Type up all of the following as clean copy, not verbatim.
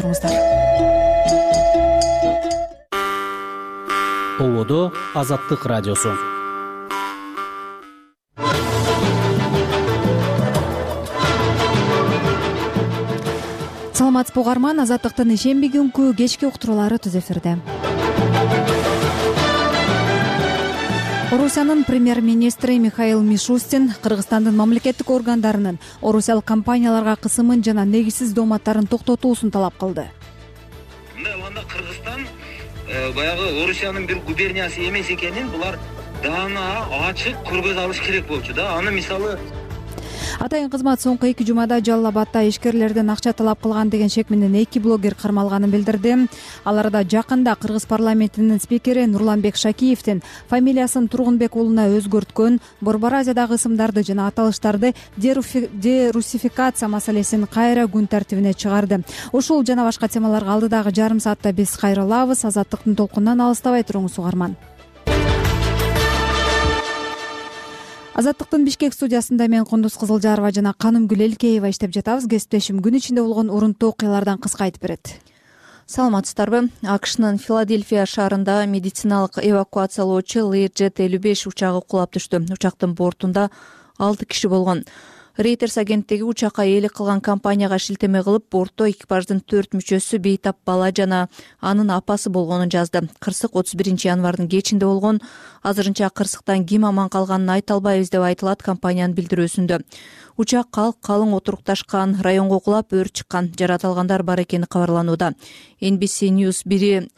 туруңуздар. Ободо Азаттык радиосу. Саламатсызбы угарман, Азаттыктын ишемби күнкү кечки уктуруулары түз эфирде. Орусиянын премьер-министри Михаил Мишустин Кыргызстандын мамлекеттик органдарынын орусиялык компанияларга кысымын жана негизсиз дооматтарын токтотуусун талап кылды. Мындай болгондо Кыргызстан баягы Орусиянын бир губерниясы эмес экенин булар даана ачык көргөз алыш керек болчу да. Аны мисалы Атайын кызмат соңку 2 жумада Жалал Абадда ишкерлерден акча талап кылган деген шек менен 2 блогер кармалганын билдирди. Аларда жакында Кыргыз парламентинин спикери Нурланбек Шакиевдин фамилиясын Тургунбек уулуна өзгөрткөн, Борбор Азиядагы ысымдарды жана аталыштарды дерусификация маселесин кайра күн тартибине чыгарды. Ушул жана башка темаларга алдыдагы жарым саатта биз кайрылабыз. Азаттыктын толкунунан алыстабай туруңуз угарман. Азаттыктын Бишкек студиясында мен Кундуз Кызылжарова жана Канымгүл Элкеева иштеп жатабыз. Кесиптешим күн ичинде болгон урунттуу окуялардан кыска айтып берет. Саламатсыздарбы? АКШнын Филадельфия шаарында медициналык эвакуациялоочу Learjet-55 учагы кулап түштү. Учактын бортунда 6 киши болгон. Reuters агенттиги учакка ээлик кылган компанияга шилтеме кылып, бортто экипаждын 4 мүчөсү бейтап бала жана анын апасы болгонун жазды. Кырсык 31 январдын кечинде болгон. Азырынча кырсыктан ким аман калганын айта албайбыз деп айтылат компаниянын билдирүүсүндө. Учак калың отурукташкан районго кулап, өрт чыккан. Жаратылгандар бар экени кабарланууда. NBC News бери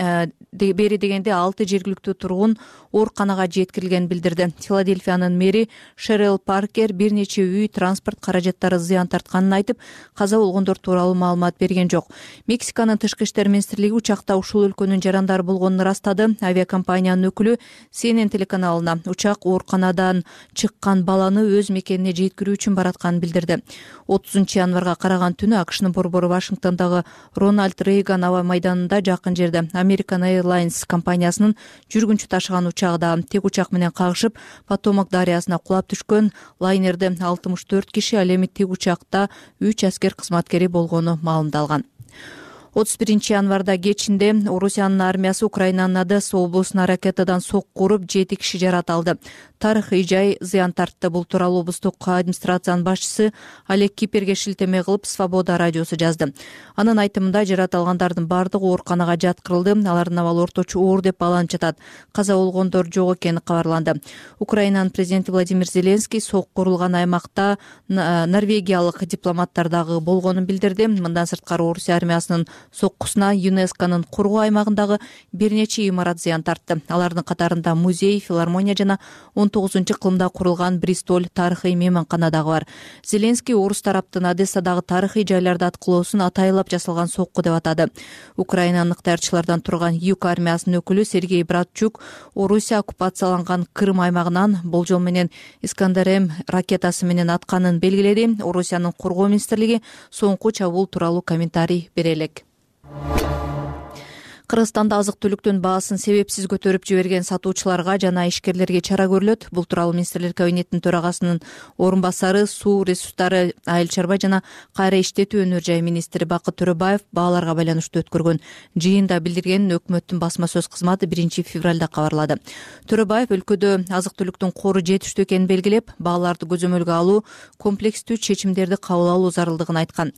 дегенде 6 жергиликтүү тургун ооруканага жеткирилгенин билдирди. Филадельфиянын мэри Шерел Паркер бир нече үй, транспорт каражаттары зыян тартканын айтып, каза болгондор тууралуу маалымат берген жок. Мексиканын тышкы иштер министрлиги учакта ушул өлкөнүн жарандары болгонун ырастады. Авиакомпаниянын өкүлү CNN телеканалына учак ооруканадан чыккан баланы өз мекенине жеткирүү үчүн баратканын билдирди. 30 январга караган түнү АКШнын борбору Вашингтондогу Рональд Рейган аба майданында жакын жерде American Airlines компаниясынын жүргүнчү ташыган учагы тек учак менен кагышып, Потомак дарыясына кулап түшкөн. Лайнерде 64 киши, ал эми тик учакта 3 аскер кызматкери болгону маалымдалган. 31 январда кечинде Орусиянын армиясы Украинанын Одесса облусуна ракетадан сокку уруп 7 киши жарат алды. Тарыхый жай зыян тартты. Бул тууралуу облустук администрациянын башчысы Олег Киперге шилтеме кылып Свобода радиосу жазды. Анын айтымында жарат алгандардын бардыгы ооруканага жаткырылды. Алардын абалы орточо оор деп бааланып жатат. Каза болгондор жок экени кабарланды. Украинанын президенти Владимир Зеленский сокку урулган аймакта норвегиялык дипломаттар дагы болгонун билдирди. Мындан сырткары Орусия армиясынын соккусуна ЮНЕСКОнун кургоо аймагындагы бир нече имарат зыян тартты. Алардын катарында музей, филармония жана 19-кылымда курулган Бристоль тарыхый мейманкана дагы бар. Зеленский орус тараптын Одессадагы тарыхый жайларды аткылоосун атайылап жасалган сокку деп атады. Украинанын ыктыярчылардан турган Юг армиясынын өкүлү Сергей Братчук Орусия оккупацияланган Крым аймагынан болжол менен Искандер-М ракетасы менен атканын белгиледи. Орусиянын кургоо министрлиги соңку чабуул тууралуу комментарий бере элек. Кыргызстанда азык-түлүктүн баасын себепсиз көтөрүп жиберген сатуучуларга жана ишкерлерге чара көрүлөт. Бул тууралуу министрлер кабинетинин төрагасынын орун басары, суу ресурстары, айыл чарба жана кайра иштетүү өнөр жай министри Бакыт Төрөбаев бааларга байланыштуу өткөргөн жыйында билдиргенин өкмөттүн басма сөз кызматы 1 февралда кабарлады. Төрөбаев өлкөдө азык-түлүктүн кору жетиштүү экенин белгилеп, бааларды көзөмөлгө алуу, комплекстүү чечимдерди кабыл алуу зарылдыгын айткан.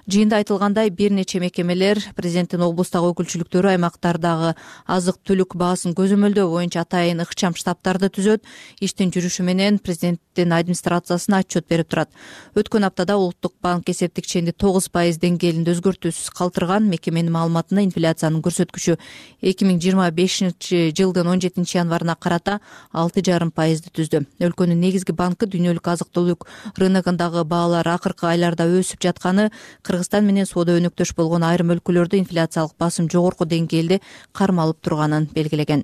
Жыйында айтылгандай, бир нече мекемелер президенттин облустагы өкүлчүлүктөрү аймактардагы азык-түлүк баасын көзөмөлдөө боюнча атайын ыкчам штабтарды түзөт. Иштин жүрүшү менен президенттин администрациясына отчет берип турат. Өткөн аптада Улуттук банк эсептик ченди 9% деңгээлинде өзгөртүүсүз калтырган. Мекеменин маалыматында инфляциянын көрсөткүчү 2025 жылдын 17 январына карата 6,5% түздү. Өлкөнүн негизги банкы дүйнөлүк азык-түлүк рыногундагы баалар акыркы айларда өсүп жатканы, Кыргызстан менен соода өнөктөш болгон айрым өлкөлөрдө инфляциялык басым жогорку деңгээлде кармалып турганын белгилеген.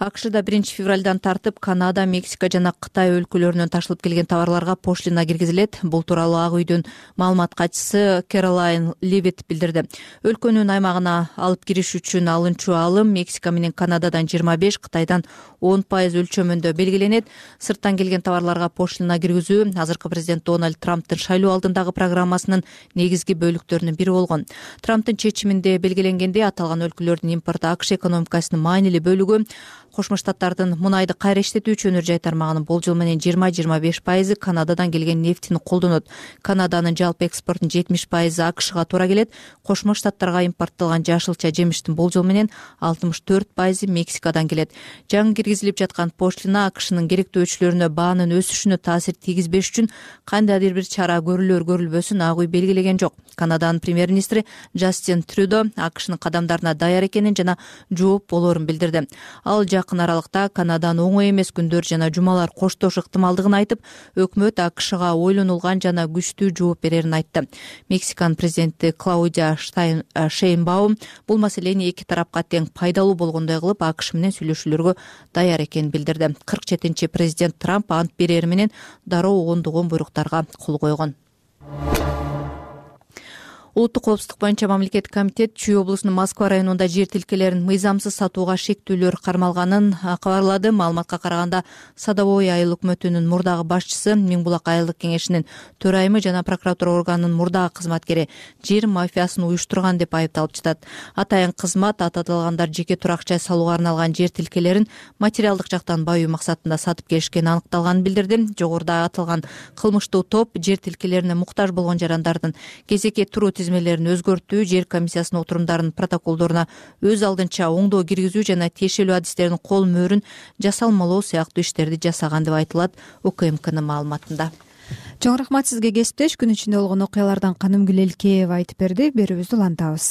АКШда 1-февралдан тартып Канада, Мексика жана Кытай өлкөлөрүнөн ташылып келген товарларга пошлина киргизилет. Бул тууралуу Ак үйдүн маалымат катчысы Кэролайн Левит билдирди. Өлкөнүн аймагына алып кириш үчүн алынчу алым Мексика менен Канададан 25, Кытайдан 10% өлчөмүндө белгиленет. Сырттан келген товарларга пошлина киргизүү азыркы президент Дональд Трамптын шайлоо алдындагы программасынын негизги бөлүктөрүнүн бири болгон. Трамптын чечиминде белгиленгендей, аталган өлкөлөрдүн импорту АКШ экономикасынын маанилүү бөлүгү. Кошмо Штаттардын мунайды кайра иштетүүчү өнөр жай тармагынын болжол менен 20-25% Канададан келген нефтини колдонот. Канаданын жалпы экспортунун 70% АКШга туура келет. Кошмо Штаттарга импорттолгон жашылча жемиштин болжол менен 64% Мексикадан келет. Жаңы киргизилип жаткан пошлина АКШнын керектөөчүлөрүнө баанын өсүшүнө таасир тийгизбеш үчүн кандайдыр бир чара көрүлөр-көрүлбөсүн Ак үй белгилеген жок. Канаданын премьер-министри Джастин Трюдо АКШнын кадамдарына даяр экенин жана жооп болоорун билдирди. Ал жакын аралыкта Канаданын оңой эмес күндөр жана жумалар коштош ыктымалдыгын айтып, өкмөт АКШга ойлонулган жана күчтүү жооп берерин айтты. Мексиканын президенти Клаудия Шейнбаум бул маселени эки тарапка тең пайдалуу болгондой кылып АКШ менен сүйлөшүүлөргө даяр экенин билдирди. 47-чи президент Трамп ант берери менен дароо ондогон буйруктарга кол койгон. Улуттук коопсуздук боюнча мамлекеттик комитет Чүй облусунун Москва районунда жер тилкелерин мыйзамсыз сатууга шектүүлөр кармалганын кабарлады. Маалыматка караганда, Садовой айыл өкмөтүнүн мурдагы башчысы, Миң Булак айылдык кеңешинин төрайымы жана прокуратура органынын мурдагы кызматкери жер мафиясын уюштурган деп айыпталып жатат. Атайын кызмат аталгандар жеке турак жай салууга арналган жер тилкелерин материалдык жактан баюу максатында сатып келишкени аныкталганын билдирди. Жогоруда аталган кылмыштуу топ жер тилкелерине муктаж болгон жарандардын кезекке туруу тизмелерин өзгөртүү, жер комиссиясынын отурумдарынын протоколдоруна өз алдынча оңдоо киргизүү жана тиешелүү адистердин кол мөөрүн жасалмалоо сыяктуу иштерди жасаган деп айтылат УКМКнын маалыматында. Чоң рахмат сизге, кесиптеш. Күн ичинде болгон окуялардан Канымгүл Элкеева айтып берди. Берүүбүздү улантабыз.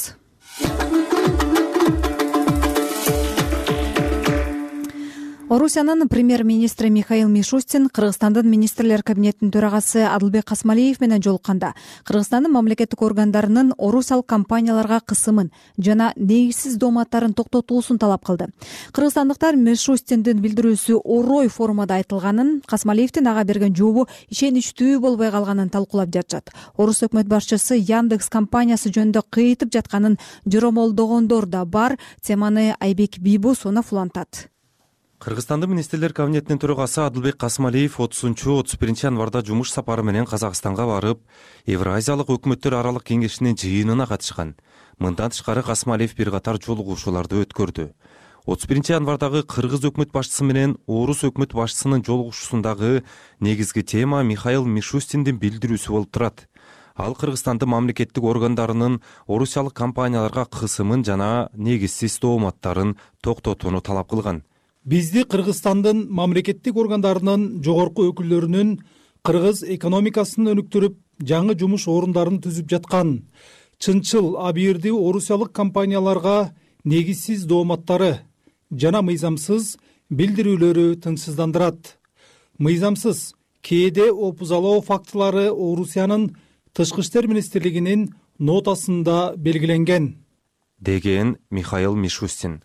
Орусиянын премьер-министри Михаил Мишустин Кыргызстандын министрлер кабинетинин төрагасы Адылбек Касмалиев менен жолукканда Кыргызстандын мамлекеттик органдарынын орусиялык компанияларга кысымын жана негизсиз дооматтарын токтотуусун талап кылды. Кыргызстандыктар Мишустиндин билдирүүсү орой формада айтылганын, Касмалиевдин ага берген жообу ишеничтүү болбой калганын талкуулап жатышат. Орус өкмөт башчысы Яндекс компаниясы жөнүндө кыйтып жатканын жоромолдогондор да бар. Теманы Айбек Бийбосунов улантат. Кыргызстандын министрлер кабинетинин төрагасы Адылбек Касмалиев 30-31 январда жумуш сапары менен Казакстанга барып, Евразиялык өкмөттөр аралык кеңешинин жыйынына катышкан. Мындан тышкары Касмалиев бир катар жолугушууларды өткөрдү. 31 январдагы кыргыз өкмөт башчысы менен орус өкмөт башчысынын жолугушуусундагы негизги тема Михаил Мишустиндин билдирүүсү болуп турат. Ал Кыргызстандын мамлекеттик органдарынын орусиялык компанияларга кысымын жана негизсиз дооматтарын токтотууну талап кылган. Бизди Кыргызстандын мамлекеттик органдарынын жогорку өкүлдөрүнүн кыргыз экономикасын өнүктүрүп, жаңы жумуш орундарын түзүп жаткан чынчыл абийирдүү орусиялык компанияларга негизсиз дооматтары жана мыйзамсыз билдирүүлөрү тынчсыздандырат. Мыйзамсыз кээде опузалоо фактылары Орусиянын Тышкы иштер министрлигинин нотасында белгиленген, деген Михаил Мишустин.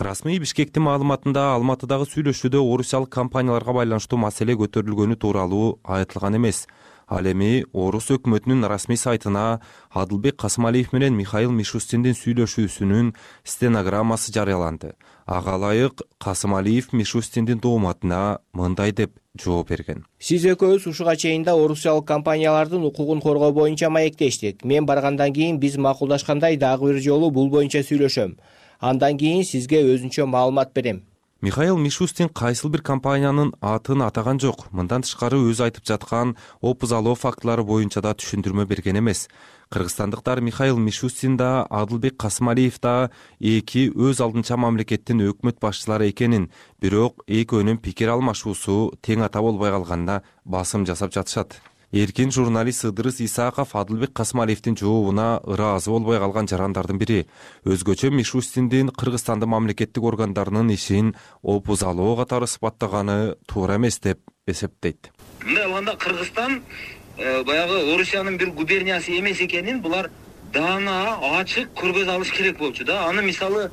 Расмий Бишкектин маалыматында Алматыдагы сүйлөшүүдө орусиялык компанияларга байланыштуу маселе көтөрүлгөнү тууралуу айтылган эмес. Ал эми орус өкмөтүнүн расмий сайтына Адылбек Касмалиев менен Михаил Мишустиндин сүйлөшүүсүнүн стенограммасы жарыяланды. Ага ылайык Касмалиев Мишустиндин дооматына мындай деп жооп берген. Сиз экөөбүз ушуга чейин да орусиялык компаниялардын укугун коргоо боюнча маектештик. Мен баргандан кийин биз макулдашкандай дагы бир жолу бул боюнча сүйлөшөм. Андан кийин сизге өзүнчө маалымат берем. Михаил Мишустин кайсыл бир компаниянын атын атаган жок. Мындан тышкары өзү айтып жаткан опузалоо фактылары боюнча да түшүндүрмө берген эмес. Кыргызстандыктар Михаил Мишустин да, Адылбек Касмалиев да эки өз алдынча мамлекеттин өкмөт башчылары экенин, бирок экөөнүн пикир алмашуусу тең ата болбой калганына басым жасап жатышат. Эркин журналист Ыдырыс Исаков Адылбек Касмалиевдин жообуна ыраазы болбой калган жарандардын бири. Өзгөчө Мишустиндин Кыргызстандын мамлекеттик органдарынын ишин опузалоо катары сыпаттаганы туура эмес деп эсептейт. Мындай алганда Кыргызстан баягы Орусиянын бир губерниясы эмес экенин булар даана ачык көргөз алыш керек болчу да. Аны мисалы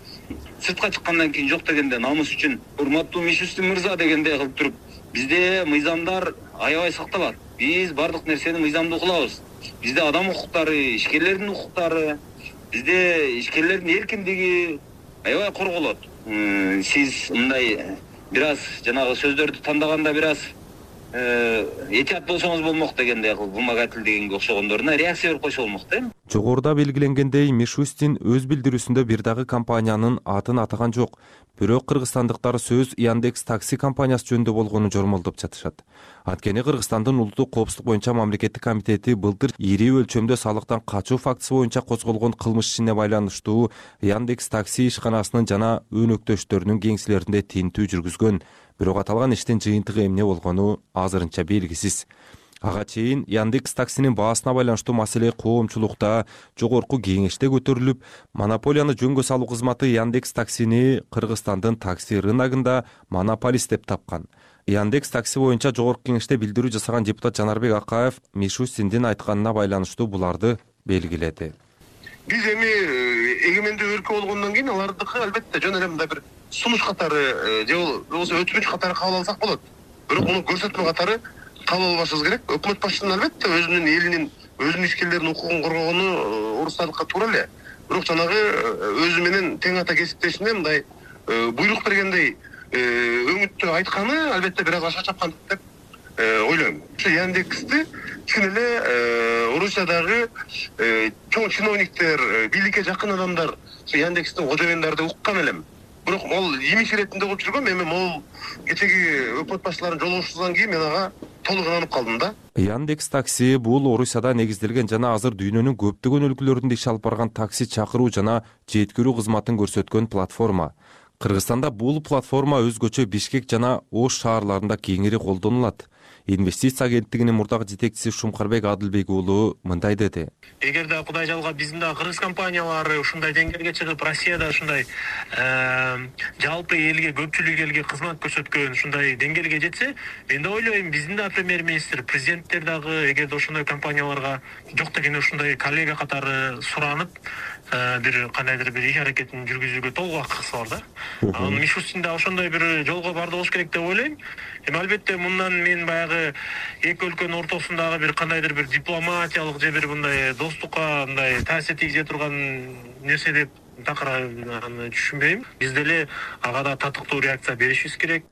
сыртка чыккандан кийин жок дегенде намыс үчүн урматтуу Мишустин мырза дегендей кылып туруп бизде мыйзамдар аябай сакталат. Биз бардык нерсени мыйзамдуу кылабыз. Бизде адам укуктары, ишкерлердин укуктары, бизде ишкерлердин эркиндиги аябай корголот. Сиз мындай бир аз жанагы сөздөрдү тандаганда бир аз этият болсоңуз болмок дегендей кылып вымогательдегенге окшогондоруна реакция берип койсо болмок да. Жогоруда белгиленгендей, Мишустин өз билдирүүсүндө бир дагы компаниянын атын атаган жок. Бирок кыргызстандыктар сөз Яндекс такси компаниясы жөнүндө болгонун жормолдоп жатышат. Анткени Кыргызстандын улуттук коопсуздук боюнча мамлекеттик комитети былтыр ири өлчөмдө салыктан качуу фактысы боюнча козголгон кылмыш ишине байланыштуу Яндекс такси ишканасынын жана өнөктөштөрүнүн кеңселеринде тинтүү жүргүзгөн. Бирок аталган иштин жыйынтыгы эмне болгону азырынча белгисиз. Ага чейин Яндекс таксинин баасына байланыштуу маселе коомчулукта жогорку кеңеште көтөрүлүп, монополияны жөнгө салуу кызматы Яндекс таксини Кыргызстандын такси рыногунда монополист деп тапкан. Яндекс такси боюнча жогорку кеңеште билдирүү жасаган депутат Жанарбек Акаев Мишустиндин айтканына байланыштуу буларды белгиледи. Биз эми эгемендүү өлкө болгондон кийин алардыкы албетте жөн эле мындай бир сунуш катары же болбосо өтүнүч катары кабыл алсак болот. Бирок муну көрсөтмө катары кабыл албашыбыз керек. Өкмөт башчысынын албетте өзүнүн элинин, өзүнүн ишкерлеринин укугун коргогону урустардыкка туура эле. Бирок жанагы өзү менен тең ата кесиптешине мындай буйрук бергендей өңүттө айтканы албетте бир аз аша чапкандык деп ойлойм. Ушу Яндексти чын эле Орусиядагы чоң чиновниктер, бийликке жакын адамдар ушу Яндекстин кожоюндары деп уккан элем. Бирок ал имиш иретинде болуп жүргөн. Эми могул кечеги өкмөт башчыларынын жолугушуусунан кийин мен ага толук инанып калдым да. Яндекс такси бул Орусияда негизделген жана азыр дүйнөнүн көптөгөн өлкөлөрүндө иш алып барган такси чакыруу жана жеткирүү кызматын көрсөткөн платформа. Кыргызстанда бул платформа өзгөчө Бишкек жана Ош шаарларында кеңири колдонулат. Инвестиция агенттигинин мурдагы жетекчиси Шумкарбек Адылбек уулу мындай деди. Эгерде Кудай жалгап биздин да кыргыз компаниялары ушундай деңгээлге чыгып, Россияда ушундай жалпы элге, көпчүлүк элге кызмат көрсөткөн ушундай деңгээлге жетсе, мен да ойлойм, биздин да премьер-министр, президенттер дагы эгерде ошондой компанияларга жок дегенде ушундай коллега катары суранып, бир кандайдыр бир иш аракетин жүргүзүүгө толук акысы бар да. Анан Мишустин да ошондой бир жолго барды болуш керек деп ойлойм. Эми албетте мындан мен баягы эки өлкөнүн ортосундагы бир кандайдыр бир дипломатиялык же бир мындай достукка мындай таасир тийгизе турган нерсе деп такыр аны түшүнбөйм. Биз деле ага да татыктуу реакция беришибиз керек.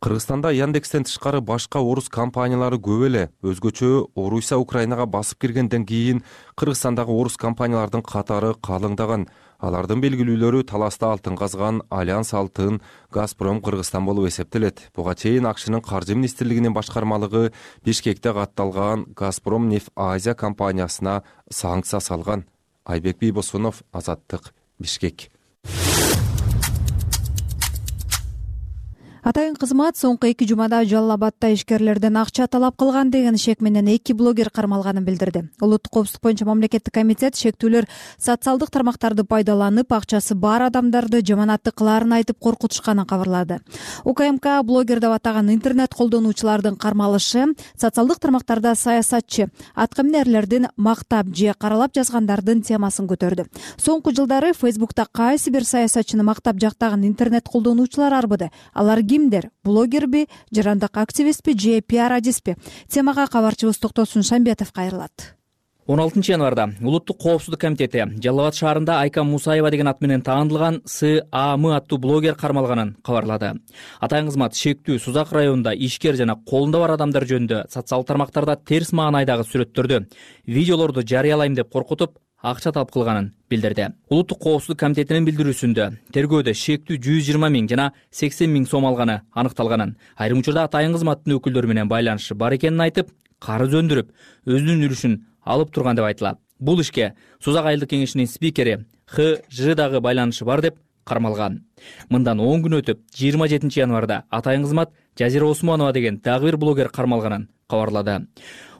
Кыргызстанда Яндекстен тышкары башка орус компаниялары көп эле. Өзгөчө Орусия Украинага басып киргенден кийин Кыргызстандагы орус компаниялардын катары калыңдаган. Алардын белгилүүлөрү таласта алтын казган Альянс Алтын, Газпром Кыргызстан болуп эсептелет. Буга чейин АКШнын каржы министрлигинин башкармалыгы Бишкекте катталган Газпром Нефть Азия компаниясына санкция салган. Айбек Бийбосунов, Азаттык, Бишкек. Атайын кызмат соңку 2 жумада Жалал Абадда ишкерлерден акча талап кылган деген шек менен 2 блогер кармалганын билдирди. Улуттук коопсуздук боюнча мамлекеттик комитет шектүүлөр социалдык тармактарды пайдаланып акчасы бар адамдарды жаманатты кылаарын айтып коркутушканын кабарлады. УКМК блогер деп атаган интернет колдонуучулардын кармалышы социалдык тармактарда саясатчы, аткаминерлердин мактап же каралап жазгандардын темасын көтөрдү. Соңку жылдары Facebook'та кайсы бир саясатчыны мактап жактаган интернет колдонуучулар арбыды. Алар кимдер? Блогерби, жарандык активистпи же пиар-адиспи? Темага кабарчыбыз Токтосун Шамбетов кайрылат. 16 январда Улуттук коопсуздук комитети Жалал Абад шаарында Айка Мусаева деген ат менен таанылган САМ аттуу блогер кармалганын кабарлады. Атайын кызмат шектүү Сузак районунда ишкер жана колунда бар адамдар жөнүндө социалдык тармактарда терс маанайдагы сүрөттөрдү, видеолорду жарыялайм деп коркутуп, акча талап кылганын билдирди. Улуттук коопсуздук комитетинин билдирүүсүндө тергөөдө шектүү 120 000 жана 80 000 сом алганы аныкталганын, айрым учурда атайын кызматтын өкүлдөрү менен байланышы бар экенин айтып, карыз өндүрүп, өзүнүн үлүшүн алып турган деп айтылат. Бул ишке Сузак айылдык кеңешинин спикери ХЖ дагы байланышы бар деп кармалган. Мындан 10 күн өтүп, 27 январда атайын кызмат Жазира Осмонова деген дагы бир блогер кармалганын кабарлады.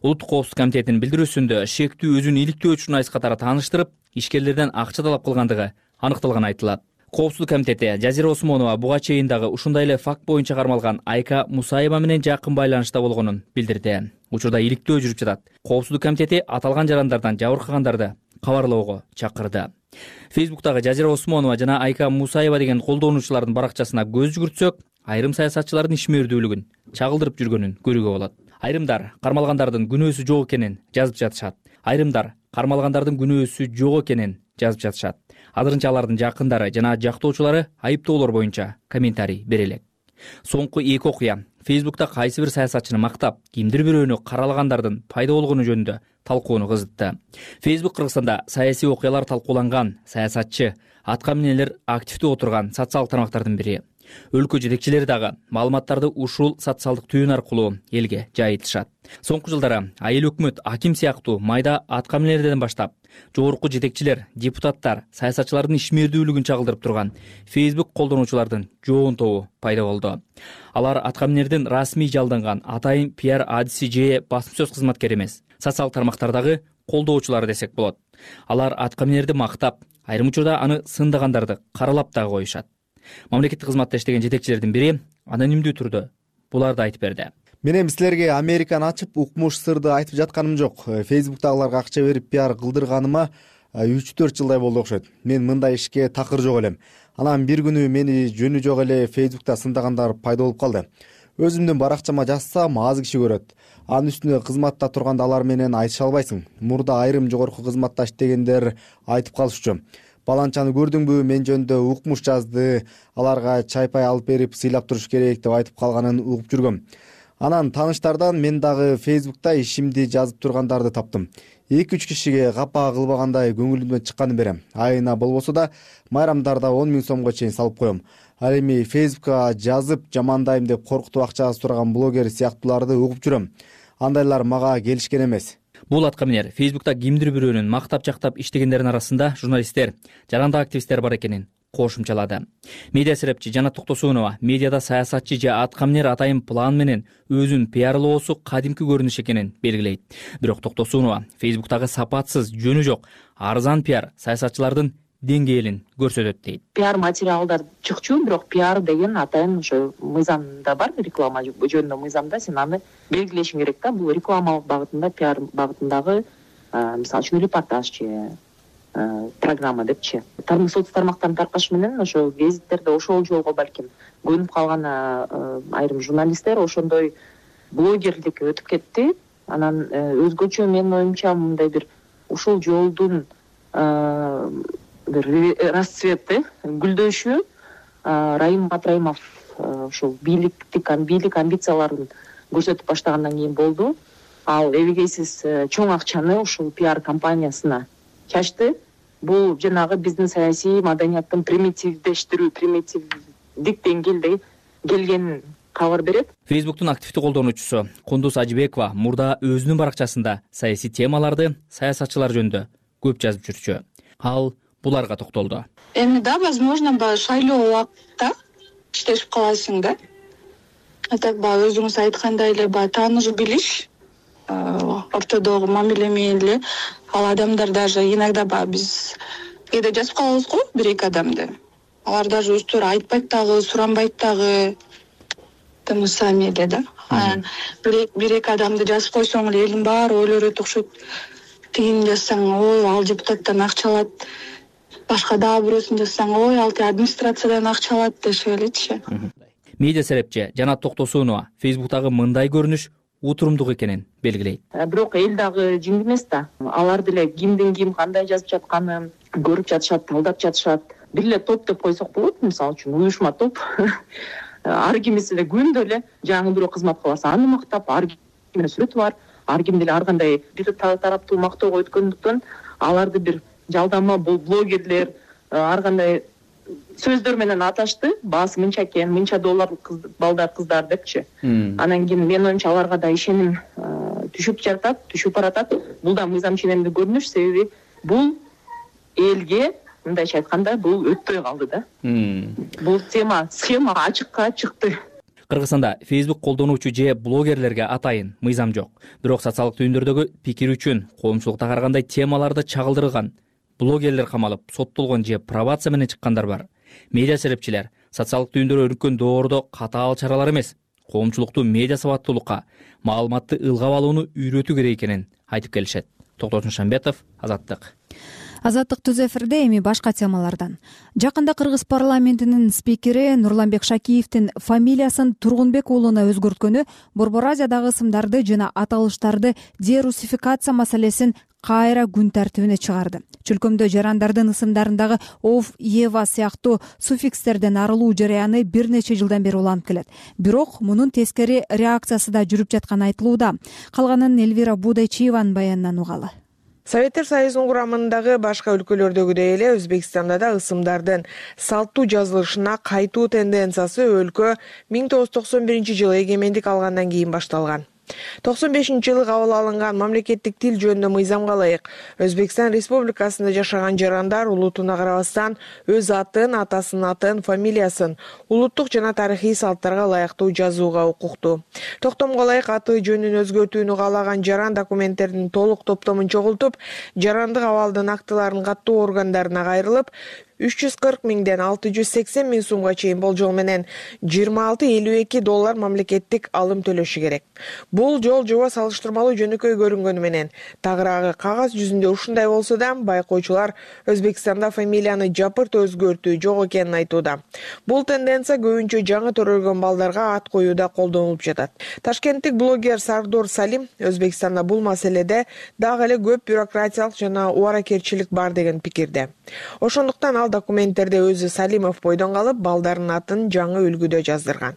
Улуттук коопсуздук комитетинин билдирүүсүндө шектүү өзүн иликтөө үчүн айс катары тааныштырып, ишкерлерден акча талап кылгандыгы аныкталганы айтылат. Коопсуздук комитети Жазира Осмонова буга чейин дагы ушундай эле факт боюнча кармалган Айка Мусаева менен жакын байланышта болгонун билдирди. Учурда иликтөө жүрүп жатат. Коопсуздук комитети аталган жарандардан жабыркагандарды кабарлоого чакырды. Фейсбуктагы Жазира Осмонова жана Айка Мусаева деген колдонуучулардын баракчасына көз жүгүртсөк, айрым саясатчылардын ишмердүүлүгүн чагылдырып жүргөнүн көрүүгө болот. Айрымдар кармалгандардын күнөөсү жок экенин жазып жатышат. Айрымдар кармалгандардын күнөөсү жок экенин жазып жатышат. Азырынча алардын жакындары жана жактоочулары айыптоолор боюнча комментарий бере элек. Соңку эки окуя Фейсбукта кайсы бир саясатчыны мактап, кимдир бирөөнү каралагандардын пайда болгону жөнүндө талкууну кызытты. Фейсбук Кыргызстанда саясий окуялар талкууланган, саясатчы, атка минелер активдүү отурган социалдык тармактардын бири. Өлкө жетекчилери дагы маалыматтарды ушул социалдык түйүн аркылуу элге жайылтышат. Соңку жылдары айыл өкмөт, аким сыяктуу майда атка минелерден баштап, жогорку жетекчилер, депутаттар, саясатчылардын ишмердүүлүгүн чагылдырып турган Facebook колдонуучулардын жоон тобу пайда болду. Алар атка минердин расмий жалданган атайын пиар адиси же басым сөз кызматкери эмес, социалдык тармактардагы колдоочулары десек болот. Алар атка минерди мактап, айрым учурда аны сындагандарды каралап дагы коюшат. Мамлекеттик кызматта иштеген жетекчилердин бири анонимдүү түрдө буларды айтып берди. Мен эми силерге Американы ачып, укмуш сырды айтып жатканым жок. Фейсбуктагыларга акча берип пиар кылдырганыма 3-4 жылдай болду окшойт. Мен мындай ишке такыр жок элем. Анан бир күнү мени жөнү жок эле Фейсбукта сындагандар пайда болуп калды. Өзүмдүн баракчама жазсам аз киши көрөт. Анын үстүнө кызматта турганда алар менен айтыша албайсың. Мурда айрым жогорку кызматта иштегендер айтып калышчу. Баланчаны көрдүңбү, мен жөнүндө укмуш жазды, аларга чай-пай алып берип сыйлап туруш керек деп айтып калганын угуп жүргөм. Анан тааныштардан мен дагы Фейсбукта ишимди жазып тургандарды таптым. 2-3 кишиге капа кылбагандай көңүлүмдөн чыкканын берем. Айына болбосо да майрамдарда 10 000 сомго чейин салып коем. Ал эми Фейсбукка жазып жамандайм деп коркутуп акча сураган блогер сыяктууларды угуп жүрөм. Андайлар мага келишкен эмес. Бул атка минер Фейсбукта кимдир бирөөнүн мактап-жактап иштегендердин арасында журналисттер, жарандык активисттер бар экенин кошумчалады. Медиа серепчи Жанат Токтосунова медиада саясатчы же атка минер атайын план менен өзүн пиарлоосу кадимки көрүнүш экенин белгилейт. Бирок Токтосунова Фейсбуктагы сапатсыз, жөнү жок, арзан пиар саясатчылардын деңгээлин көрсөтөт дейт. Пиар материалдар чыкчу, бирок пиар деген атайын ошо мыйзамда бар, реклама жөнүндө мыйзамда сен аны белгилешиң керек да. Бул рекламалык багытында, пиар багытындагы мисалы үчүн репортаж же программа депчи. Соц тармактарын таркаш менен ошо гезиттерде ошол жолго балким көнүп калган айрым журналисттер ошондой блогерликке өтүп кетти. Анан өзгөчө менин оюмча мындай бир ушул жолдун бир расцвети, гүлдөшү Раим Матраимов ушул бийлик амбицияларын көрсөтүп баштагандан кийин болду. Ал эбегейсиз чоң акчаны ушул пиар компаниясына чачты. Бул жанагы биздин саясий маданияттын примитивдик деңгээлде келгенин кабар берет. Фейсбуктун активдүү колдонуучусу Кундуз Ажибекова мурда өзүнүн баракчасында саясий темаларды, саясатчылар жөнүндө көп жазып жүрчү. Ал буларга токтолду. Эми да, возможно, шайлоо убакытта иштешип каласың да. Так өзүңүз айткандай эле тааныш билиш, ортодогу мамиле менен эле ал адамдар даже иногда биз кээде жазып калабыз го бир-эки адамды. Алар даже өздөрү айтпайт дагы, суранбайт дагы. Сами эле да. Бир-эки адамды жазып койсоң эле элдин баары ойлорот окшойт. Тигини жазсаң, ой, ал депутаттан акча алат. Башка дагы бирөөсүн жазсаң, ой, ал администрациядан акча алат дешип элечи. Медиа серепчи Жанат Токтосунова Фейсбуктагы мындай көрүнүш утурумдук экенин белгилейт. Бирок эл дагы жиң эмес да. Алар деле кимдин ким кандай жазып жатканын көрүп жатышат, талдап жатышат. Бир эле топ деп койсок болот, мисалы үчүн уюшма топ. Ар кимиси эле күндө эле жаңы бирөө кызмат кылса аны мактап, ар кимдин сүрөтү бар. Ар ким деле ар кандай бир тараптуу мактоого өткөндүктөн аларды бир жалдама блогерлер ар кандай сөздөр менен аташты. Баасы мынча экен, мынча доллар балдар кыздар депчи. Анан кийин менин оюмча аларга да ишеним түшүп баратат. Бул да мыйзам ченемдүү көрүнүш, себеби бул элге мындайча айтканда бул өтпөй калды да. Бул схема ачыкка чыкты. Кыргызстанда Facebook колдонуучу же блогерлерге атайын мыйзам жок. Бирок социалдык түйүндөрдөгү пикир үчүн коомчулукта карагандай темаларды чагылдырган блогерлер камалып, соттолгон же пробация менен чыккандар бар. Медиа серепчилер социалдык түйүндөр өрүккөн доордо катаал чаралар эмес, коомчулукту медиа сабаттуулукка, маалыматты ылгап алууну үйрөтүү керек экенин айтып келишет. Токтосун Шамбетов, Азаттык. Азаттык түз эфирде эми башка темалардан. Жакында Кыргыз парламентинин спикери Нурланбек Шакиевдин фамилиясын Тургунбек уулуна өзгөрткөнү Борбор Азиядагы ысымдарды жана аталыштарды дерусификация маселесин кайра күн тартибине чыгарды. Чөлкөмдө жарандардын ысымдарындагы ов, ева сыяктуу суффикстерден арылуу жараяны бир нече жылдан бери уланып келет. Бирок мунун тескери реакциясы да жүрүп жатканы айтылууда. Калганын Эльвира Будайчиеванын баянынан угалы. Советтер Союзунун курамындагы башка өлкөлөрдөгүдөй эле Өзбекстанда да ысымдардын салттуу жазылышына кайтуу тенденциясы өлкө 1991-жылы эгемендик алгандан кийин башталган. 95-жылы кабыл алынган мамлекеттик тил жөнүндө мыйзамга ылайык Өзбекстан Республикасында жашаган жарандар улутуна карабастан өз атын, атасынын атын, фамилиясын улуттук жана тарыхый салттарга ылайыктуу жазууга укуктуу. Токтомго ылайык аты жөнүн өзгөртүүнү каалаган жаран документтердин толук топтомун чогултуп, жарандык абалдын актыларын каттоо органдарына кайрылып, 340 миңден 680 миң сумга чейин болжол менен $26-52 мамлекеттик алым төлөшү керек. Бул жол жоба салыштырмалуу жөнөкөй көрүнгөнү менен тагыраагы кагаз жүзүндө ушундай болсо да, байкоочулар Өзбекстанда фамилияны жапырт өзгөртүү жок экенин айтууда. Бул тенденция көбүнчө жаңы төрөлгөн балдарга ат коюуда колдонулуп жатат. Ташкенттик блогер Сардор Салим Өзбекстанда бул маселеде дагы эле көп бюрократиялык жана убаракерчилик бар деген пикирде. Ошондуктан ал документтерде өзү Салимов бойдон калып, балдарынын атын жаңы үлгүдө жаздырган.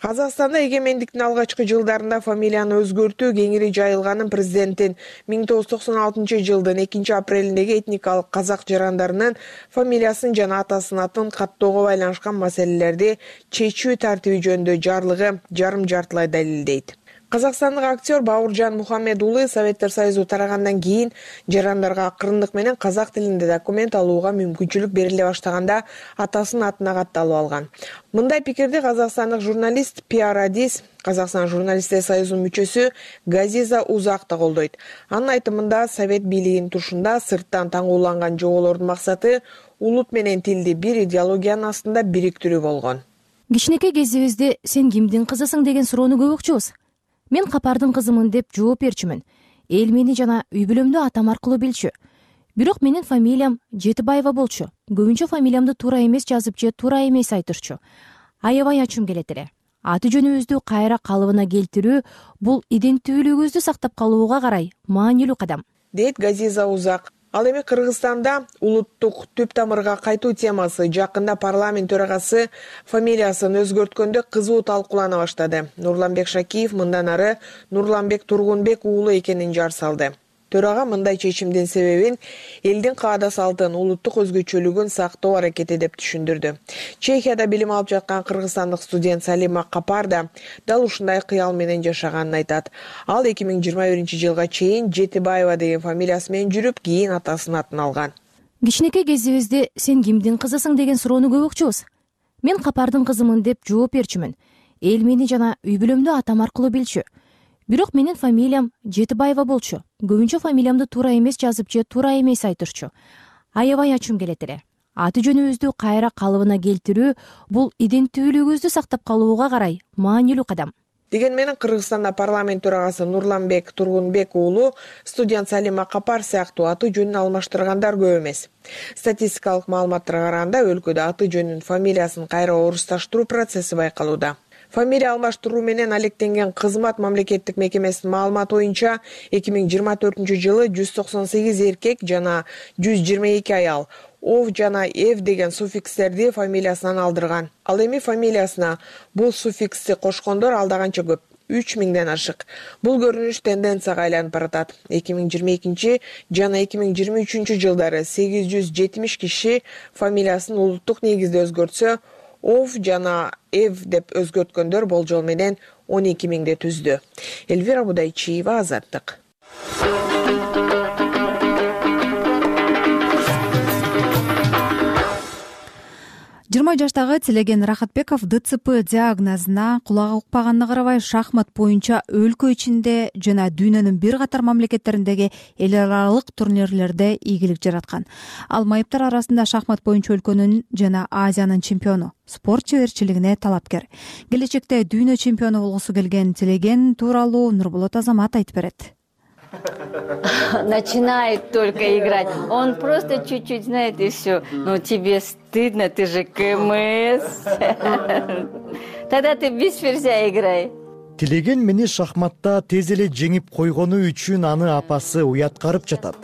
Казакстанда эгемендиктин алгачкы жылдарында фамилияны өзгөртүү кеңири жайылганын президенттин 1996-жылдын 2-апрелиндеги этникалык казак жарандарынын фамилиясын жана атасынын атын каттоого байланышкан маселелерди чечүү тартиби жөнүндө жарлыгы жарым-жартылай далилдейт. Казакстандык актер Бауыржан Мухаммед уулу Советтер Союзу тарагандан кийин жарандарга акырындык менен казак тилинде документ алууга мүмкүнчүлүк бериле баштаганда атасынын атына катталып алган. Мындай пикирди казакстандык журналист Пиарадис, Казакстан журналисттер союзунун мүчөсү Газиза Узак да колдойт. Анын айтымында Совет бийлигинин тушунда сырттан таңууланган жоболордун максаты улут менен тилди бир идеологиянын астында бириктирүү болгон. Кичинекей кезибизде сен кимдин кызысың деген суроону көп укчубуз. Мен Капардын кызымын деп жооп берчүмүн. Эл мени жана үй бүлөмдү атам аркылуу билчү. Бирок менин фамилиям Жетибаева болчу. Көбүнчө фамилиямды туура эмес жазып же туура эмес айтышчу. Аябай ачым келет эле. Аты жөнүбүздү кайра калыбына келтирүү бул иденттүүлүгүбүздү сактап калууга карай маанилүү кадам, дейт Газиза Узак. Ал эми Кыргызстанда улуттук түп тамырга кайтуу темасы жакында парламент төрагасы фамилиясын өзгөрткөндө кызуу талкуулана баштады. Нурланбек Шакиев мындан ары Нурланбек Тургунбек уулу экенин жар салды. Төрага мындай чечимдин себебин элдин каада салтын, улуттук өзгөчөлүгүн сактоо аракети деп түшүндүрдү. Чехияда билим алып жаткан кыргызстандык студент Салима Капар да дал ушундай кыял менен жашаганын айтат. Ал 2021-жылга чейин Жетибаева деген фамилиясы менен жүрүп, кийин атасынын атын алган. Кичинекей кезибизде сен кимдин кызысың деген суроону көп укчубуз. Мен Капардын кызымын деп жооп берчүмүн. Эл мени жана үй бүлөмдү атам аркылуу билчү. Бирок менин фамилиям Жетибаева болчу. Көбүнчө фамилиямды туура эмес жазып же туура эмес айтышчу. Аябай ачым келет эле. Аты жөнүбүздү кайра калыбына келтирүү бул иденттүүлүгүбүздү сактап калууга карай маанилүү кадам. Деген менен Кыргызстанда парламент төрагасы Нурланбек Тургунбек уулу студент Салима Капар сыяктуу аты жөнүн алмаштыргандар көп эмес. Статистикалык маалыматтарга караганда өлкөдө аты жөнүн фамилиясын кайра орусташтыруу процесси байкалууда. Фамилия алмаштыруу менен алектенген кызмат мамлекеттик мекемесинин маалыматы боюнча 2024-жылы 198 эркек жана 122 аял ов жана эв деген суффикстерди фамилиясынан алдырган. Ал эми фамилиясына бул суффиксти кошкондор алда канча көп, 3000ден ашык. Бул көрүнүш тенденцияга айланып баратат. 2022 жана 2023 жылдары 870 киши фамилиясын улуттук негизде өзгөртсө, ов жана эв деп өзгөрткөндөр болжол менен 12 миңди түздү. Эльвира Будайчиева, Азаттык. 20 жаштагы Тилеген Рахатбеков ДЦП диагнозуна кулагы укпаганына карабай шахмат боюнча өлкө ичинде жана дүйнөнүн бир катар мамлекеттериндеги эл аралык турнирлерде ийгилик жараткан. Ал майыптар арасында шахмат боюнча өлкөнүн жана Азиянын чемпиону, спорт чеберчилигине талапкер. Келечекте дүйнө чемпиону болгусу келген Тилеген тууралуу Нурболот Азамат айтып берет. начинает только играть. Он просто чуть-чуть знает и все. Но тебе стыдно, ты же КМС. Тогда ты без ферзя играй. Тилеген мени шахматта тез эле жеңип койгону үчүн аны апасы уяткарып жатат.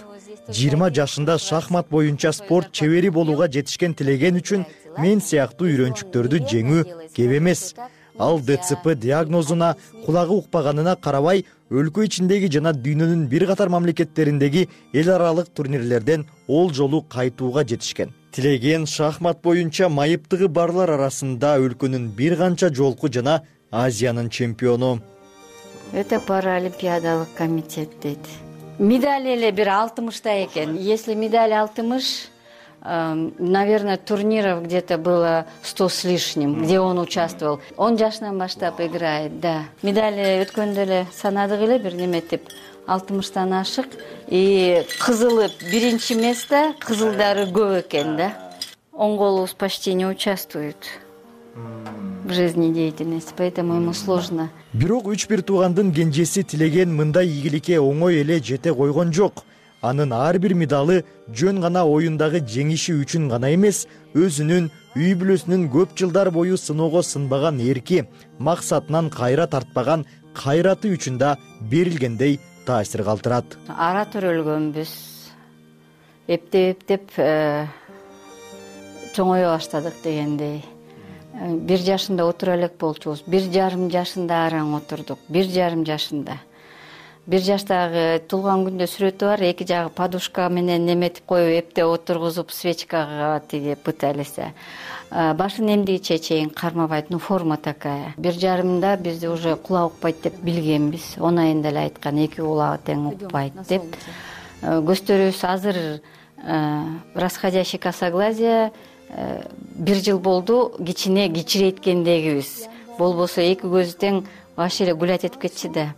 20 жашында шахмат боюнча спорт чебери болууга жетишкен Тилеген үчүн мен сыяктуу үйрөнчүктөрдү жеңүү кеп эмес. Ал ДЦП диагнозуна кулагы укпаганына карабай, өлкө ичиндеги жана дүйнөнүн бир катар мамлекеттериндеги эл аралык турнирлерден ол жолу кайтууга жетишкен. Тилеген шахмат боюнча майыптыгы барлар арасында өлкөнүн бир канча жолку жана Азиянын чемпиону. Это паралимпиадалык комитет дейт. Медаль эле бир 60та экен. Если медаль 60, наверное, турниров где-то было 100 с лишним, где он участвовал. Он жашынан баштап играет, да. Медали өткөндө эле санадык эле бир неметип 60тан ашык. И кызылы биринчи место, кызылдары көп экен, да. Оң колубуз почти не участвует в жизнедеятельности, поэтому ему сложно. Бирок 3-1 туугандын кенжеси Тилеген мындай ийгиликке оңой эле жете койгон жок. Анын ар бир медалы жөн гана оюндагы жеңиши үчүн гана эмес, өзүнүн үй бүлөсүнүн көп жылдар бою сыноого сынбаган эрки, максатынан кайра тартпаган кайраты үчүн да берилгендей таасир калтырат. Ара төрөлгөнбүз. Эптеп чоңое баштадык дегендей. 1 жашында отура элек болчубуз. 1,5 жашында араң отурдук. 1,5 жашында. 1 жаштагы туулган күндө сүрөтү бар. Эки жагы подушка менен неметип коюп, эптеп отургузуп, свечкага тиги пыталися. Башын эмдигиче чейин кармабайт, ну форма такая. 1,5 бизди уже кулак укпайт деп билгенбиз. 10 айында эле айткан, 2 кулагы тең укпайт деп. Көздөрүбүз азыр расходящий косоглазие 1 жыл болду, кичине кичирейткендегибиз. Болбосо 2 көзү тең вообще эле гулять этип кетчи да.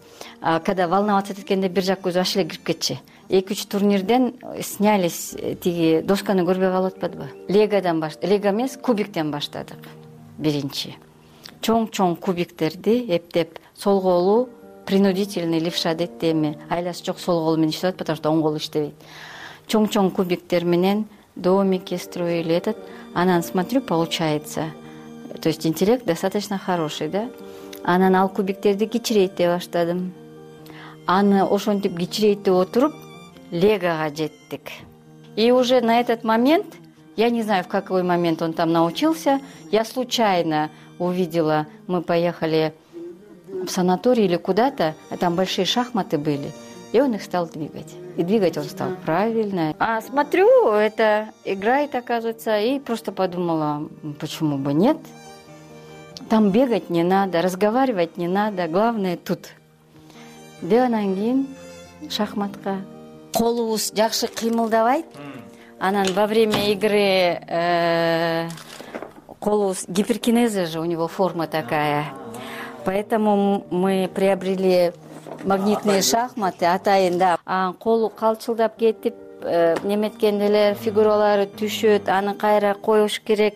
Когда волноваться эткенде 1 жак көзү вообще эле кирип кетчи. 2-3 турнирден снялись, тиги досканы көрбөй калып атпадыбы? Легадан лего эмес, кубиктен баштадык. Биринчи. Чоң кубиктерди эптеп, сол колу принудительный левша дейт эми. Айласы жок сол колу менен иштеп атат, потому что оң колу иштебейт. Чоң кубиктер менен домики строили этот. Анан смотрю, получается. То есть интеллект достаточно хороший, да? Анан ал кубиктерди кичирейте баштадым. Аны ошентип кичирейте отуруп, легага жеттик. И уже на этот момент, я не знаю, в какой момент он там научился, я случайно увидела, мы поехали в санаторий или куда-то, а там большие шахматы были, и он их стал двигать. И двигать он стал правильно. А смотрю, это играет, оказывается, и просто подумала, почему бы нет. Там бегать не надо, разговаривать не надо, главное тут. Деп анан кийин шахматка колубуз жакшы кыймылдабайт. Анан во время игры колубуз гиперкинеза же, у него форма такая. Поэтому мы приобрели магнитные шахматы, атайын да. Колу калчылдап кетип, неметкенде эле фигуралары түшөт, аны кайра коюш керек.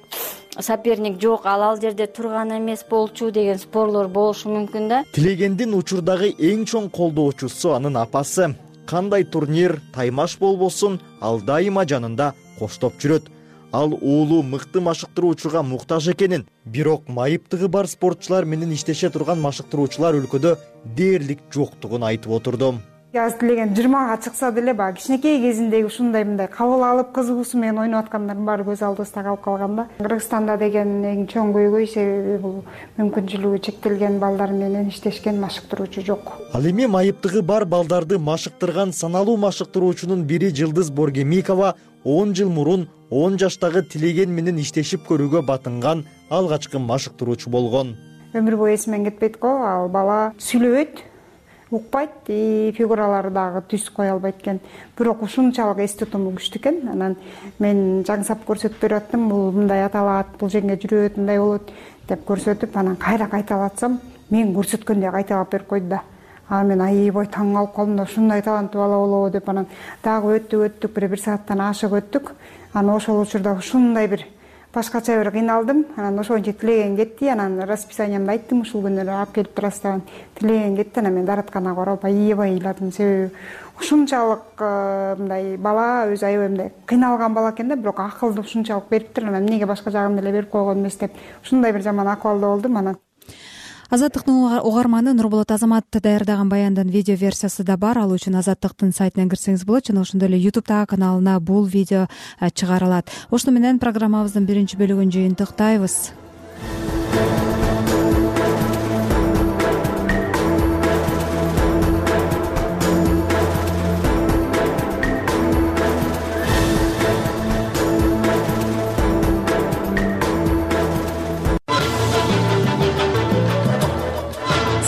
Соперник жок, ал жерде турган эмес болчу деген спорлор болушу мүмкүн да. Тилегендин учурдагы эң чоң колдоочусу анын апасы. Кандай турнир, таймаш болбосун, ал дайыма жанында коштоп жүрөт. Ал уулу мыкты машыктыруучуга муктаж экенин, бирок майыптыгы бар спортчулар менен иштеше турган машыктыруучулар өлкөдө дээрлик жоктугун айтып отурду. Аз Тилеген 20га чыкса деле баягы кичинекей кезиндеги ушундай мындай кабыл алып кызыгуусу менен ойноп аткандардын баары көз алдыбызда калып калган да. Кыргызстанда деген эң чоң көйгөй себеби бул мүмкүнчүлүгү чектелген балдар менен иштешкен машыктыруучу жок. Ал эми майыптыгы бар балдарды машыктырган саналуу машыктыруучунун бири Жылдыз Боргемикова 10 жыл мурун 10 жаштагы Тилеген менен иштешип көрүүгө батынган алгачкы машыктыруучу болгон. Өмүр бою эсимен кетпейт го, ал бала сүйлөбөйт, укпайт, фигуралары дагы түз кое албайт экен. Бирок ушунчалык эс тутуму күчтүү экен. Анан мен жаңсап көрсөтүп берип аттым, бул мындай аталат, бул жеңге жүрөт, мындай болот деп көрсөтүп, анан кайра кайталатсам, мен көрсөткөндөй кайталап берип койду да. Мен аябай таң калып калдым да, ушундай таланттуу бала болобу деп анан дагы өттүк, бир сааттан ашык өттүк. Анан ошол учурда ушундай бир башкача бир кыйналдым. Анан ошончо тилеген кетти. Анан расписаниямды айттым, ушул күнү алып келип турасыз деп. Тилеген кетти. Анан мен дааратканага барып аябай ыйладым. Себеби ушунчалык мындай бала өзү аябай мындай кыйналган бала экен да, бирок акылды ушунчалык бериптир. Анан эмнеге башка жагын деле берип койгон эмес деп ушундай бир жаман акыбалда болдум. Анан Азаттыктын угарманы Нурболот Азамат даярдаган баяндын видео версиясы да бар. Ал үчүн Азаттыктын сайтына кирсеңиз болот жана ошондой эле YouTube'дагы каналына бул видео чыгарылат. Ошону менен программабыздын биринчи бөлүгүн жыйынтыктайбыз.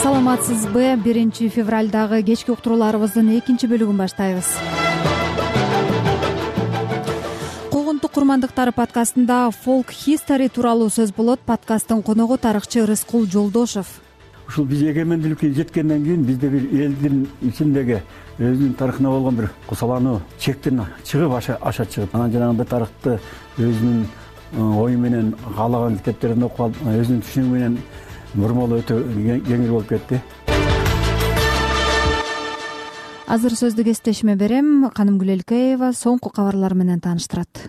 Саламатсызбы? 1 февралдагы кечки уктурууларыбыздын экинчи бөлүгүн баштайбыз. Когунтук курмандыктары подкастында Folk History тууралуу сөз болот. Подкасттын коногу тарыхчы Рыскул Жолдошев. Ушул биз эгемендүүлүккө жеткенден кийин бизде бир элдин ичиндеги өзүнүн тарыхына болгон бир кусалануу чектен чыгып аша чыгып, анан жанагындай тарыхты өзүнүн ою менен каалаган китептерин окуп алып, өзүнүн түшүнүгү менен бурмалоо өтө кеңир болуп кетти. Азыр сөздү кесиптешиме берем. Каным Гүлелкеева соңку кабарлар менен тааныштырат.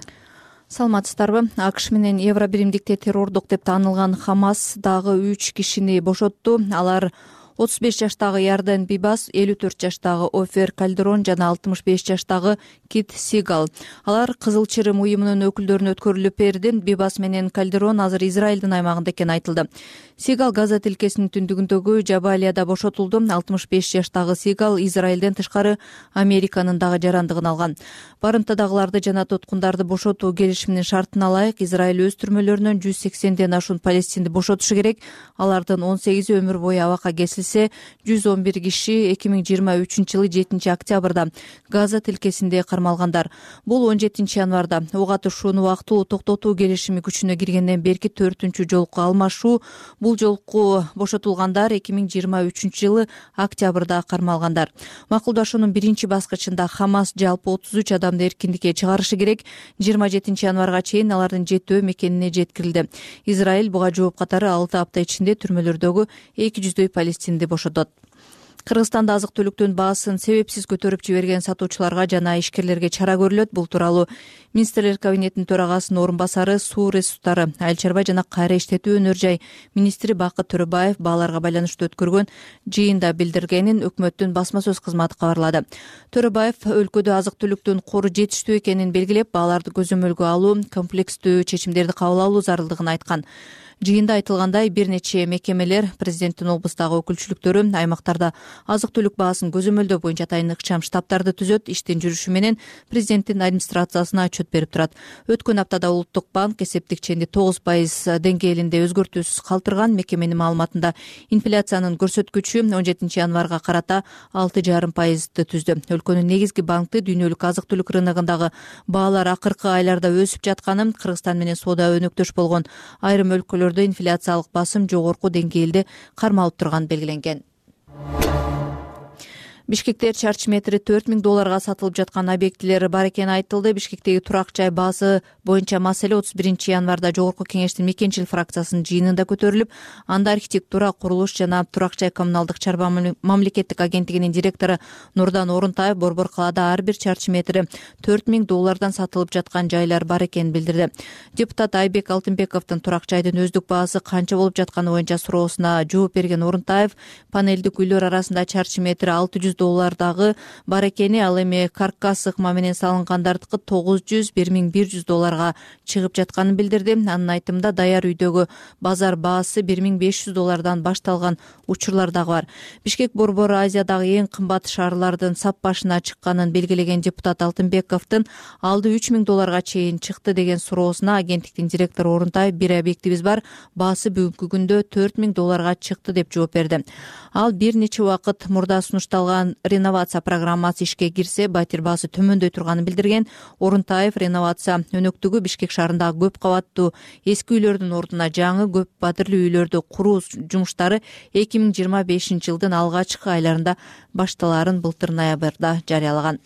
Саламатсыздарбы? АКШ менен Евробиримдикте террордук деп таанылган Хамас дагы 3 кишини бошотту. Алар 35 жаштагы Ярден Бибас, 54 жаштагы Офер Кальдерон жана 65 жаштагы Кит Сигал. Алар Кызыл Чырым уюмунун өкүлдөрүнө өткөрүлүп берди. Бибас менен Кальдерон азыр Израилдин аймагында экени айтылды. Сигал Газа тилкесинин түндүгүндөгү Жабалияда бошотулду. 65 жаштагы Сигал Израилден тышкары Американын дагы жарандыгын алган. Барымтадагыларды жана туткундарды бошотуу келишиминин шартына ылайык Израиль өз түрмөлөрүнөн 180ден ашуун палестинди бошотушу керек. Алардын 18 өмүр бою абакка кесилсе, 111 киши 2023-жылы 7 октябрда Газа тилкесинде кармалгандар. Бул 17 январда ок атышууну убактылуу токтотуу келишими күчүнө киргенден берки 4-чү жолку алмашуу. Бул жолку бошотулгандар 2023-жылы октябрда кармалгандар. Макулдашуунун биринчи баскычында Хамас жалпы 33 адамды эркиндикке чыгарышы керек. 27 январга чейин алардын жетөө мекенине жеткирилди. Израиль буга жооп катары 6 апта ичинде түрмөлөрдөгү 200дөй палестинди бошотот. Кыргызстанда азык-түлүктүн баасын себепсиз көтөрүп жиберген сатуучуларга жана ишкерлерге чара көрүлөт. Бул тууралуу Министрлер кабинетинин төрагасынын орун басары, суу ресурстары, айыл чарба жана кайра иштетүү өнөр жай министри Бакыт Төрөбаев бааларга байланыштуу өткөргөн жыйында билдиргенин өкмөттүн басма сөз кызматы кабарлады. Төрөбаев өлкөдө азык-түлүктүн кору жетиштүү экенин белгилеп, бааларды көзөмөлгө алуу, комплекстүү чечимдерди кабыл алуу зарылдыгын айткан. Жыйында айтылгандай, бир нече мекемелер, президенттин облустагы өкүлчүлүктөрү аймактарда азык-түлүк баасын көзөмөлдөө боюнча атайын ыкчам штабтарды түзөт, иштин жүрүшү менен президенттин администрациясына отчет берип турат. Өткөн аптада Улуттук банк эсептик ченди 9% деңгээлинде өзгөртүүсүз калтырган. Мекеменин маалыматында инфляциянын көрсөткүчү 17 январга карата 6,5%ды түздү. Өлкөнүн негизги банкты дүйнөлүк азык-түлүк рыногундагы баалар акыркы айларда өсүп жатканын, Кыргызстан менен соода өнөктөш болгон айрым өлкөлөр инфляциялык басым жогорку деңгээлде кармалып турганы белгиленген. Бишкекте чарчы метри $4000 сатылып жаткан объектилер бар экени айтылды. Бишкектеги турак жай баасы боюнча маселе 31 январда жогорку кеңештин мекенчилик фракциясынын жыйынында көтөрүлүп, анда архитектура, курулуш жана турак жай коммуналдык чарба мамлекеттик агенттигинин директору Нурдан Орунтаев борбор калаада ар бир чарчы метри $4000 сатылып жаткан жайлар бар экенин билдирди. Депутат Айбек Алтынбековдун турак жайдын өздүк баасы канча болуп жатканы боюнча суроосуна жооп берген Орунтаев, панелдик үйлөр арасында чарчы метри $600 бар экени, ал эми каркас ыкма менен салынгандардыкы $900-1100 чыгып жатканын билдирди. Анын айтымында даяр үйдөгү базар баасы $1500 башталган учурлар дагы бар. Бишкек борбору Азиядагы эң кымбат шаарлардын сап башына чыкканын белгилеген депутат Алтынбековдун алды $3000 чейин чыкты деген суроосуна агенттиктин директору Орунтаев, бир объектибиз бар, баасы бүгүнкү күндө $4000 чыкты деп жооп берди. Ал бир нече убакыт мурда сунушталган реновация программасы ишке кирсе, батир баасы төмөндөй турганын билдирген. Орунтаев реновация өнөктүгү Бишкек шаарындагы көп кабаттуу эски үйлөрдүн ордуна жаңы көп батирлүү үйлөрдү куруу жумуштары 2025 жылдын алгачкы айларында башталаарын былтыр ноябрда жарыялаган.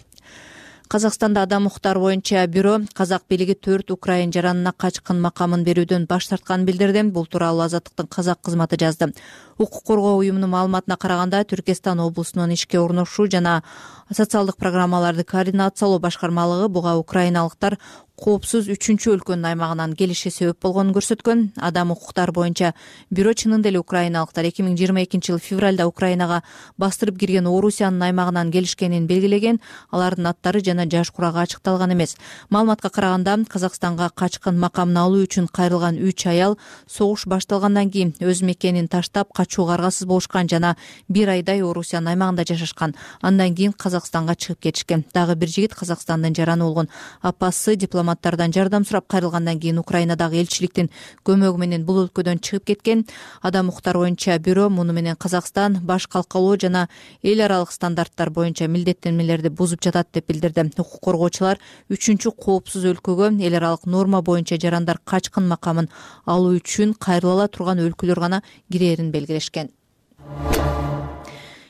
Казакстанда адам укуктары боюнча бюро казак бийлиги 4 украин жаранына качкын макамын берүүдөн баш тартканын билдирди. Бул тууралуу Азаттыктын казак кызматы жазды. Укук коргоо уюмунун маалыматына караганда, Түркистан облусунун ишке орношуу жана социалдык программаларды координациялоо башкармалыгы буга украиналыктар коопсуз 3-өлкөнүн аймагынан келиши себеп болгонун көрсөткөн. Адам укуктары боюнча бюро чынында эле украиналыктар 2022-жылы февралда Украинага бастырып кирген Орусиянын аймагынан келишкенин белгилеген. Алардын аттары жана жаш курагы ачыкталган эмес. Маалыматка караганда, Казакстанга качкын макамын алуу үчүн кайрылган 3 аял согуш башталгандан кийин өз мекенин таштап качууга аргасыз болушкан жана 1 айдай Орусиянын аймагында жашашкан. Андан кийин Казакстанга чыгып кетишкен. Дагы бир жигит Казакстандын жараны болгон апасы дипломаттардан жардам сурап кайрылгандан кийин Украинадагы элчиликтин көмөгү менен бул өлкөдөн чыгып кеткен. Адам укуктары боюнча бюро муну менен Казакстан баш калкалоо жана эл аралык стандарттар боюнча милдеттенмелерди бузуп жатат деп билдирди. Укук коргоочулар 3-чү коопсуз өлкөгө эл аралык норма боюнча жарандар качкын макамын алуу үчүн кайрыла ала турган өлкөлөр гана кирээрин белгилешкен.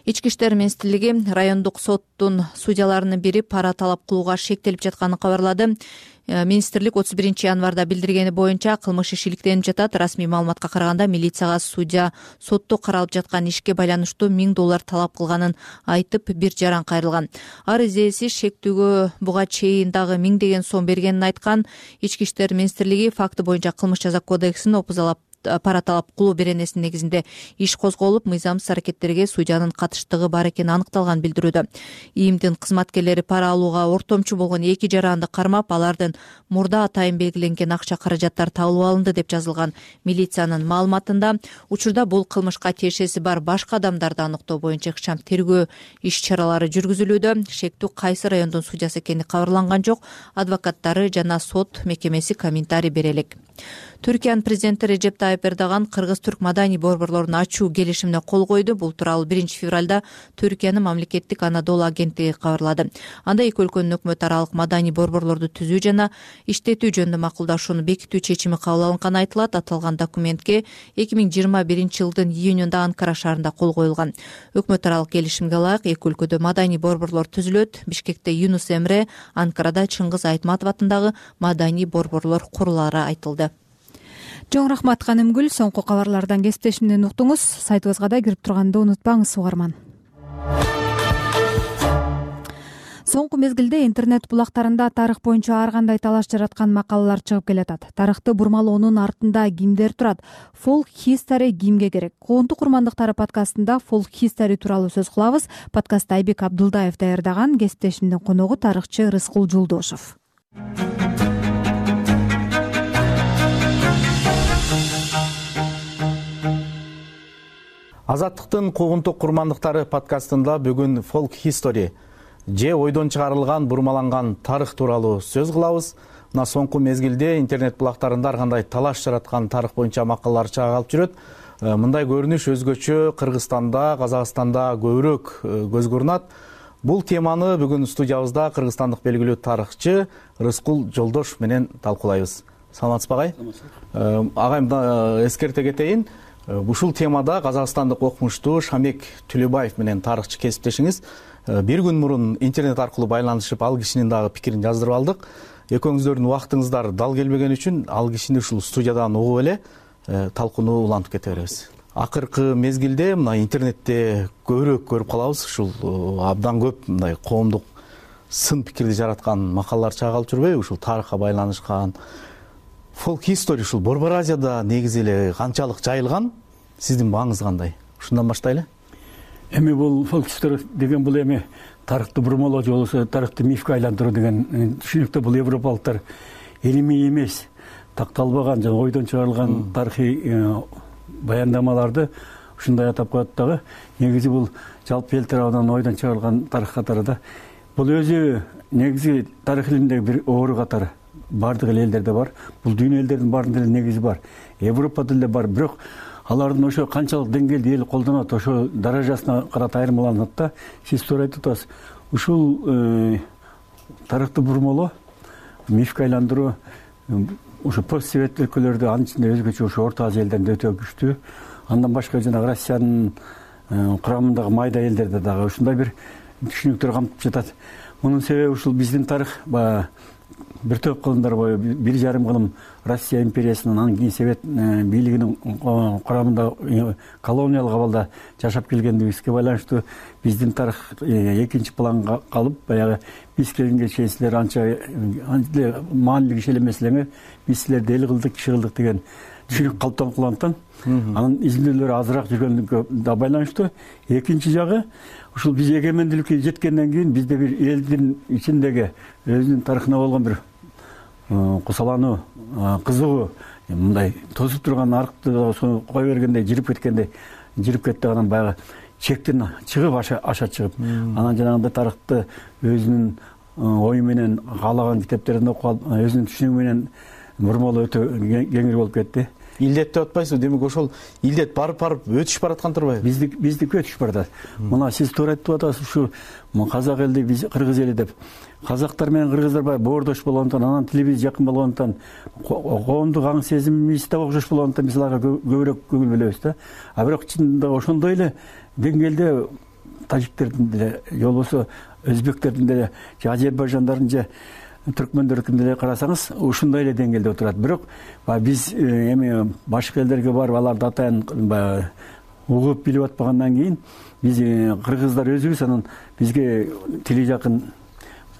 Ички иштер министрлиги райондук соттун судьяларынын бири пара талап кылууга шектелип жатканын кабарлады. Министрлик 31 январда билдиргени боюнча кылмыш иши иликтенип жатат. Расмий маалыматка караганда, милицияга судья сотто каралып жаткан ишке байланыштуу $1000 талап кылганын айтып, бир жаран кайрылган. Арыз ээси шектүүгө буга чейин дагы 1000 сом бергенин айткан. Ички иштер министрлиги факты боюнча кылмыш жаза кодексинин опузалап пара талап кылуу беренесинин негизинде иш козголуп, мыйзамсыз аракеттерге судьянын катыштыгы бар экени аныкталган билдирүүдө. ИИМдин кызматкерлери пара алууга ортомчу болгон 2 жаранды кармап, алардын мурда атайын белгиленген акча каражаттары табылып алынды деп жазылган милициянын маалыматында. Учурда бул кылмышка тиешеси бар башка адамдарды аныктоо боюнча ыкчам тергөө иш чаралары жүргүзүлүүдө. Шектүү кайсы райондун судьясы экени кабарланган жок. Адвокаттары жана сот мекемеси комментарий бере элек. Түркиянын президенти Режеп Тайып Эрдоган кыргыз-түрк маданий борборлорун ачуу келишимине кол койду. Бул тууралуу 1-февралда Түркиянын мамлекеттик Анадолу агенттиги кабарлады. Анда эки өлкөнүн өкмөт аралык маданий борборлорду түзүү жана иштетүү жөнүндө макулдашууну бекитүү чечими кабыл алынганы айтылат. Аталган документке 2021-жылдын июнунда Анкара шаарында кол коюлган. Өкмөт аралык келишимге ылайык эки өлкөдө маданий борборлор түзүлөт. Бишкекте Юнус Эмре, Анкарада Чыңгыз Айтматов атындагы маданий борборлор курулаары айтылды. Чоң рахмат Канымгүл. Соңку кабарлардан кесиптешимден уктуңуз. Сайтыбызга да кирип турганды унутпаңыз, угарман. Соңку мезгилде интернет булактарында тарых боюнча ар кандай талаш жараткан макалалар чыгып келатат. Тарыхты бурмалоонун артында кимдер турат? Folk History кимге керек? Коомдук курмандыктары подкастында Folk History тууралуу сөз кылабыз. Подкастты Айбек Абдулдаев даярдаган. Кесиптешимдин коногу тарыхчы Рыскул Жолдошов. Азаттыктын куугунтук курмандыктары подкастында бүгүн Folk History же ойдон чыгарылган бурмаланган тарых тууралуу сөз кылабыз. Мына соңку мезгилде интернет булактарында ар кандай талаш жараткан тарых боюнча макалалар чыга калып жүрөт. Мындай көрүнүш өзгөчө Кыргызстанда, Казакстанда көбүрөөк көзгө урунат. Бул теманы бүгүн студиябызда кыргызстандык белгилүү тарыхчы Рыскул Жолдошов менен талкуулайбыз. Саламатсызбы агай? Агай, эскерте кетейин. Ушул темада казакстандык окумуштуу Шамек Түлөбаев менен тарыхчы кесиптешиңиз бир күн мурун интернет аркылуу байланышып, ал кишинин дагы пикирин жаздырып алдык. Экөөңүздөрдүн убактыңыздар дал келбеген үчүн ал кишини ушул студиядан угуп эле талкууну улантып кете беребиз. Акыркы мезгилде мына интернетте көбүрөөк көрүп калабыз, ушул абдан көп мындай коомдук сын пикирди жараткан макалалар чыга калып жүрбөйбү? Ушул тарыхка байланышкан Folk History ушул Борбор Азияда негизи эле канчалык жайылган? Сиздин бааңыз кандай? Ушундан баштайлы. Эми бул Folk History деген бул эми тарыхты бурмалоо же болбосо тарыхты мифке айландыруу деген түшүнүктө бул европалыктар илимий эмес, такталбаган жана ойдон чыгарылган тарыхый баяндамаларды ушундай атап коет дагы. Негизи бул жалпы эл тарабынан ойдон чыгарылган тарых катары да. Бул өзү негизи тарых илиминдеги бир оору катары. Бардык элдерде бар. Бул дүйнө элдердин баарында эле негизи бар. Европада деле бар, бирок алардын ошо канчалык деңгээлде эл колдонот, ошо даражасына карата айырмаланат да. Сиз туура айтып атасыз. Ушул тарыхты бурмалоо, мифке айландыруу ошо постсовет өлкөлөрдө, анын ичинде өзгөчө ошо Орто Азия элдеринде өтө күчтүү. Андан башка жана Россиянын курамындагы майда элдерде дагы ушундай бир түшүнүктөр камтып жатат. Мунун себеби ушул биздин тарых бир топ кылымдар бою 1,5 кылым Россия империясынын, анан кийин Совет бийлигинин курамында колониялык абалда жашап келгендигибизге байланыштуу биздин тарых экинчи планга калып, баягы биз келгенге чейин силер анча маанилүү киши элемесилерңер, биз силерди эл кылдык, киши кылдык деген түшүнүк калыптанып калгандыктан анын изилдөөлөрү азыраак жүргөндүгүнө да байланыштуу. Экинчи жагы, ушул биз эгемендүүлүккө жеткенден кийин бизде бир элдин ичиндеги өзүнүн тарыхына болгон бир кусалануу, кызыгуу, мындай тосуп турган арыкты сону кое бергендей жирип кетти. Анан баягы чектен чыгып аша чыгып, анан жанагындай тарыхты өзүнүн ою менен каалаган китептерин окуп, өзүнүн түшүнүгү менен бурмалоо өтө кеңири болуп кетти. Илдет деп атпайсызбы? Демек ошол илдет барып өтүшүп бараткан турбайбы? Биздики өтүшүп баратат. Мына сиз туура айтып атасыз, ушу казак элди, биз кыргыз эли деп. Казактар менен кыргыздар баягы боордош болгондуктан, анан тилибиз жакын болгондуктан, коомдук аң сезимибиз да окшош болгондуктан биз аларга көбүрөөк көңүл бөлөбүз да. А бирок чынында ошондой эле деңгээлде тажиктердин деле, же болбосо өзбектердин деле, же азербайжандардын, же түркмөндөрдүн деле карасаңыз, ушундай эле деңгээлде отурат. Бирок биз эми башка элдерге барып аларды атайын угуп билип атпагандан кийин, биз кыргыздар өзүбүз анан бизге тили жакын,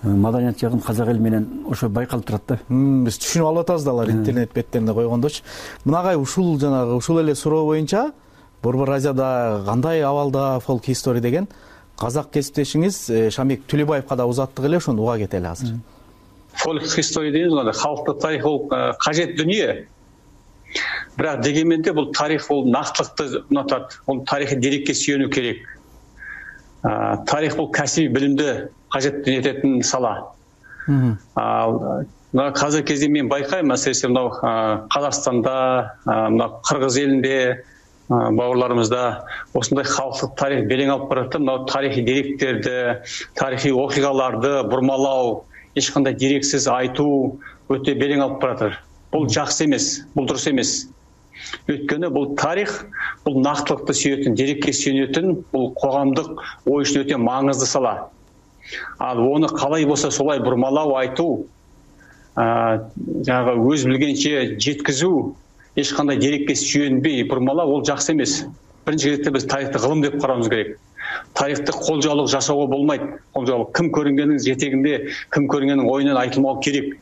маданият жакын казак эл менен ошо байкалып турат да. Биз түшүнүп алып атабыз да, алар интернет беттеринде койгондочу. Мынагай ушул эле суроо боюнча Борбор Азияда кандай абалда Folk History деген казак кесиптешиңиз Шамик Түлөбаевга да узаттык эле, ошону уга кетели азыр. Folk History дейбиз го, халктык тарих бул кажет дүнүө. Бирок дегенменде бул тарих бул нактылыкты унутат. Бул тарихи дерекке сүйөнүү керек. Тарих бул кәсиби билимди кажет этетин сала. Казыркы кезде мен байкайм, әсіресе мынау Қазақстанда, мынау Кыргыз элинде, бауырларымызда осындай халықтық тарих белең алып баратты. Мынау тарихи деректерди, тарихи окуяларды бурмалау, ешқандай дерексиз айтуу өтө белең алып баратыр. Бул жакшы эмес, бул дурус эмес. Өткөнү бул тарих, бул нактылыкты сүйөтүн, дерекке сүйөнөтүн, бул коомдук ой үчүн өтө маңызды сала. Ал оны калай болсо солай бурмалау, айтуу, жаңағы өз билгенче жеткизүү, ешқандай дерекке сүйөнбөй бурмалау, ол жакшы эмес. Биринчи кезекте биз тарихты кылым деп карауыбыз керек. Тарихты колжоолук жасоого болмойт. Колжоолук ким көрүнгөнүн жетегинде, ким көрүнгөнүн оюнан айтылмау керек.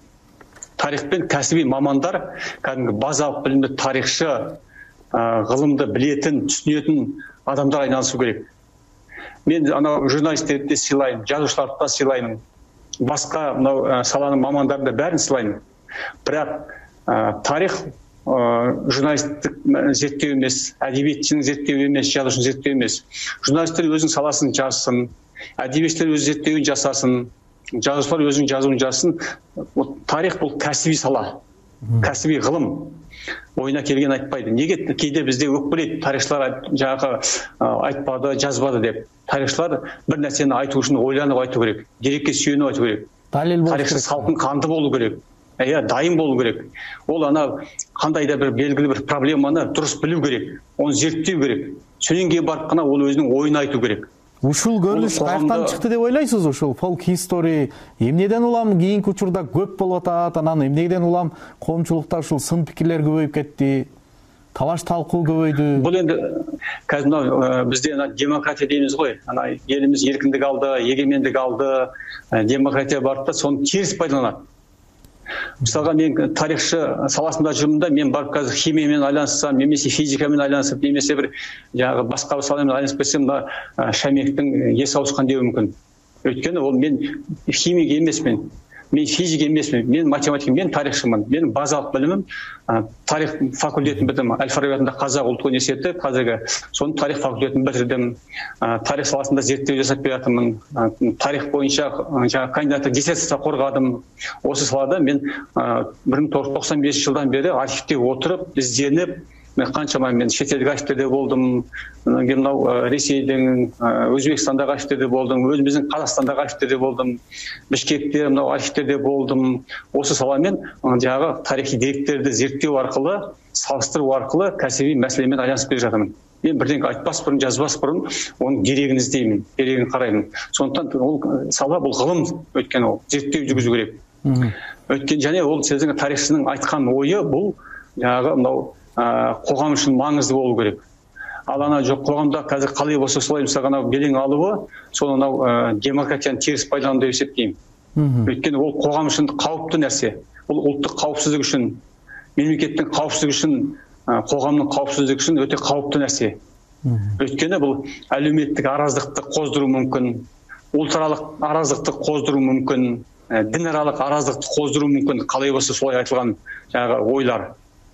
Тарихпен кәсіби мамандар, кәдімгі базалық білімді тарихшы, ғылымды білетін, түсінетін адамдар айналысу керек. Мен журналисттерді сыйлаймын, жазушыларды да сыйлаймын, басқа саланың мамандарын да бәрін сыйлаймын. Бірақ тарих журналисттік зерттеу емес, әдебиетшінің зерттеу емес, жазушының зерттеу емес. Журналисттер өзінің саласын жазсын, әдебиетшілер өз зерттеуін жасасын, жазушылар өзінің жазуын жазсын. Тарих бұл кәсіби сала, кәсіби ғылым. Ойына келген айтпайды. Неге кейде бізде өкпелейді, тарихшылар жаңағы айтпады, жазбады деп. Тарихшылар бір нәрсені айту үшін ойланып айту керек, дерекке сүйеніп айту керек. Тарихшы салқын қанды болу керек. Дайын болу керек. Ол қандай да бір белгілі бір проблеманы дұрыс білу керек, оны зерттеу керек. Сонан кейін барып қана ол өзінің ойын айту керек. Ушул көрүнүш каяктан чыкты деп ойлойсуз? Ушул Folk History эмнеден улам кийинки учурда көп болуп атат, анан эмнеден улам коомчулукта ушул сын пикирлер көбөйүп кетти, талаш талкуу көбөйдү? Бул энди казір бизде демократия деймиз ғой. Элибиз эркиндик алды, эгемендик алды, демократия бар да, сону терс пайдаланат. Мисалға, мен тарихшы саласында жүрмін, мен барып қазір химиямен айланыссам, немесе физикамен айланысып, немесе бір басқа саламен айланысып кетсем, Шамиктің есі ауысқан деуі мүмкін. Өйткені ол мен химик емеспін, мен физик емеспін, мен математик, мен тарихшымын. Менің базалық білімім тарих факультетін бітірдім. Әл-Фараби атындағы Қазақ ұлттық университеті, қазіргі соның тарих факультетін бітірдім. Тарих саласында зерттеу жасап бератынмын. Тарих бойынша кандидаттық диссертация қорғадым. Осы салада мен 1995 жылдан бері архивте отырып, ізденіп, қаншама мен шетелдік архивтерде болдым, Ресейдің, Өзбекстандағы архивтерде болдым, өзіміздің Қазақстандағы архивтерде болдым, Бішкекте архивтерде болдым. Осы саламен жаңағы тарихи деректерді зерттеу арқылы, салыстыру арқылы кәсіби мәселемен айланысып келе жатырмын. мен бирдеңе айтпас бұрын, жазбас бұрын оның керегин издеймин, керегин карайм. Сондықтан ол сала бул гылым, өйткені ол зерттөө жүргүзүү керек. Өйткені және ол сіздің тарихшының айтқан ойы бұл жаңағы мынау қоғам үшін маңызды болу керек. Ал ана жоқ қоғамда қазір қалай болса солай мысалға анау белең алуы, сол анау демократияны теріс пайдалану деп есептеймін. Өйткені ол қоғам үшін қауіпті нәрсе. Ол ұлттық қауіпсіздік үшін, мемлекеттің қауіпсіздігі үшін, қоғамның қауіпсіздігі үшін өте қауіпті нәрсе. Өйткені бұл әлеуметтік араздықты қоздыру мүмкін, ұлтаралық араздықты қоздыру мүмкін, дінаралық араздықты қоздыру мүмкін. Қалай болса солай айтылған жаңағы ойлар,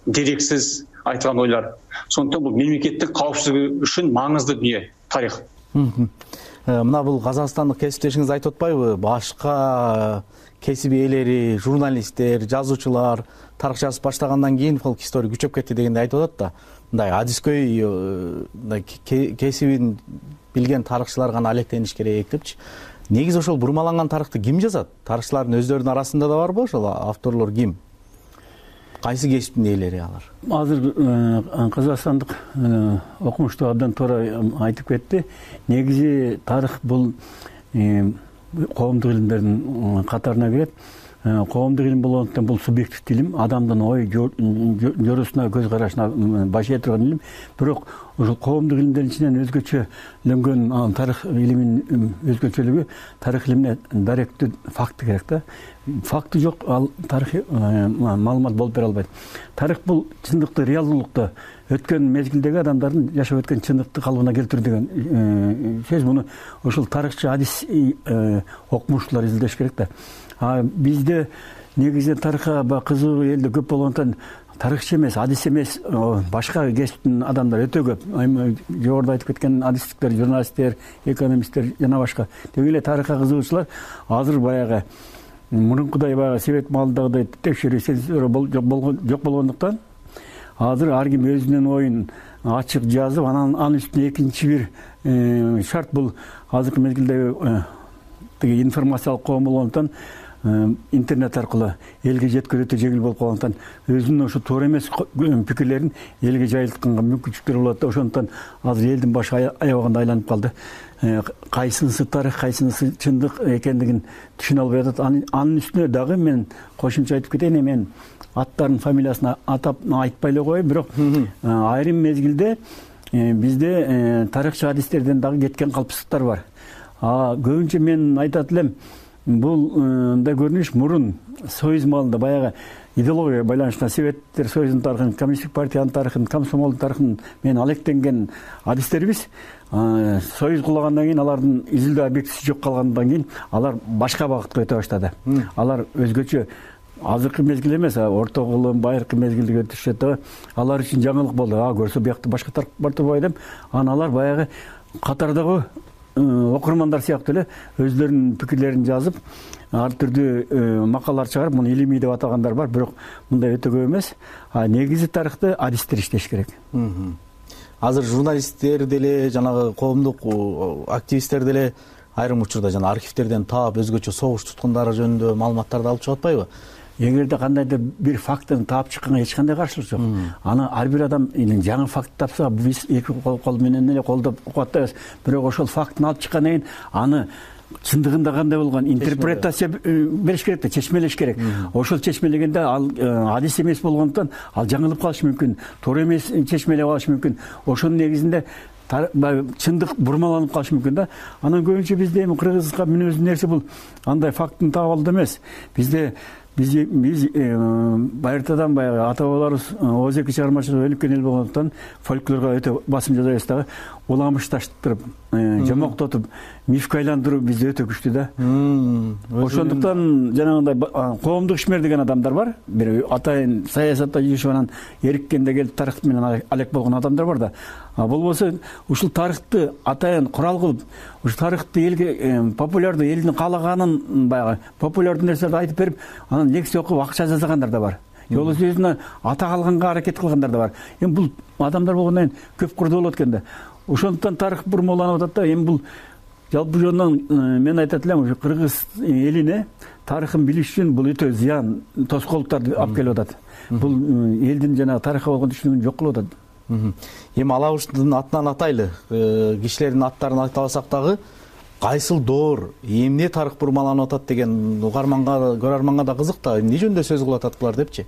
дерексіз айтылған ойлар. Сондықтан бұл мемлекеттің қауіпсіздігі үшін маңызды дүние тарих. Мына бұл қазақстандық кесиптешиңиз айтып атпайбы? Башка кесип ээлери, журналисттер, жазуучулар тарых жазып баштагандан кийин фолк история күчөп кетти дегенди айтып атат да. Мындай адискөй кесибин билген тарыхчылар гана алектениш керек депчи. Негизи ошол бурмаланган тарыхты ким жазат? Тарыхчылардын өздөрүнүн арасында да барбы ошол авторлор ким? Кайсы кесиптин ээлери алар? Азыр казакстандык окумуштуу абдан туура айтып кетти. Негизи тарых бул коомдук илимдердин катарына кирет. Коомдук илим болгондуктан бул субъективдүү илим, адамдын ой көрүүсүнө, көз карашына башыя турган илим. Бирок ошол коомдук илимдердин ичинен өзгөчөлөнгөн тарых илиминин өзгөчөлүгү тарых илимине даректүү факты керек да. Факты жок, ал тарыхый маалымат болуп бере албайт. Тарых бул чындыкты, реалдуулукту, өткөн мезгилдеги адамдардын жашап өткөн чындыкты калыбына келтирүү деген сөз. Муну ошол тарыхчы, адис окумуштуулар изилдеш керек да. Бизде негизинен тарыхка кызыгуу элде көп болгондуктан тарыхчы эмес, адис эмес, башка кесиптин адамдар өтө көп. Жогоруда айтып кеткен адистиктер, журналисттер, экономисттер жана башка. Деги эле тарыхка кызыгуучулар азыр баягы мурункудай баягы совет маалындагыдай текшерүү жок болгондуктан азыр ар ким өзүнүн оюн ачык жазып, анын үстүнө экинчи бир шарт бул азыркы мезгилдеги информациялык коом болгондуктан интернет аркылуу элге жеткирүү өтө жеңил болуп калгандыктан өзүнүн ошо туура эмес пикирлерин элге жайылтканга мүмкүнчүлүктөр болот да. Ошондуктан азыр элдин башы аябаганда айланып калды. Кайсынысы тарых, кайсынысы чындык экендигин түшүнө албай атат. Анын үстүнө дагы мен кошумча айтып кетейин, мен аттардын фамилиясын атап айтпай эле коеюн, бирок айрым мезгилде бизде тарыхчы адистерден дагы кеткен калпсыздыктар бар. Көбүнчө мен айтат элем, бул мындай көрүнүш мурун союз маалында баягы идеологияга байланыштуу Советтер Союзунун тарыхын, Коммунисттик партиянын тарыхын, комсомолдун тарыхын мен алектенген адистербиз. Союз кулагандан кийин алардын изилдөө объектиси жок калгандан кийин алар башка багытка өтө баштады. Алар өзгөчө азыркы мезгил эмес, орто кылым, байыркы мезгилде өтүшөт. Алар үчүн жаңылык болду. Көрсө биякта башка тарых бар турбайбы деп, алар баягы катардагы окурмандар сыяктуу эле өздөрүнүн пикирлерин жазып, ар түрдүү макалалар чыгарып, муну илимий деп атагандар бар, бирок мындай өтө көп эмес. Негизи тарыхты адистер иштеш керек. Азыр журналисттер деле, жанагы коомдук активисттер деле айрым учурда жана архивтерден таап өзгөчө согуш туткундары жөнүндө маалыматтарды алып чыгып атпайбы? Эгерде кандайдыр бир фактыны таап чыкканга эч кандай каршылык жок. Аны ар бир адам жаңы факт тапса, биз эки кол менен эле колдоп кубаттайбыз. Бирок ошол фактыны алып чыккандан кийин аны чындыгында кандай болгон интерпретация бериш керек да, чечмелеш керек. Ошол чечмелегенде ал адис эмес болгондуктан ал жаңылып калышы мүмкүн, туура эмес чечмелеп алышы мүмкүн. Ошонун негизинде чындык бурмаланып калышы мүмкүн да. Анан көбүнчө бизде эми кыргызга мүнөздүү нерсе бул андай фактыны таап алуу эмес. Биз байыртадан баягы ата бабаларыбыз ооз эки чыгармачылыгы өнүккөн эл болгондуктан фольклорго өтө басым жасайбыз дагы. Уламышташтырып, жомоктотуп, мифке айландыруу бизде өтө күчтүү да. Ошондуктан жанагындай коомдук ишмер деген адамдар бар. Бир атайын саясатта жүрүшүп анан эриккенде келип тарых менен алек болгон адамдар бар да. Болбосо ушул тарыхты атайын курал кылып, ушул тарыхты элге популярдуу, элдин каалаганын баягы популярдуу нерселерди айтып берип, анан лекция окуп акча жасагандар да бар. Жолусу өзүнө ата калганга аракет кылгандар да бар. Эми бул адамдар болгондон кийин көп курду болот экен да. Ошондуктан тарых бурмаланып атат да. Эми бул жалпы жөнүнөн мен айтат элем, ушу кыргыз элине тарыхын билиш үчүн бул өтө зыян, тоскоолдуктарды алып келип атат. Бул элдин жанагы тарыхка болгон түшүнүгүн жок кылып атат. Эми алабыздын атынан атайлы, кишилердин аттарын айта алсак дагы кайсыл доор, эмне тарых бурмаланып атат деген көрөрманга да кызык да, эмне жөнүндө сөз кылып атат булар депчи.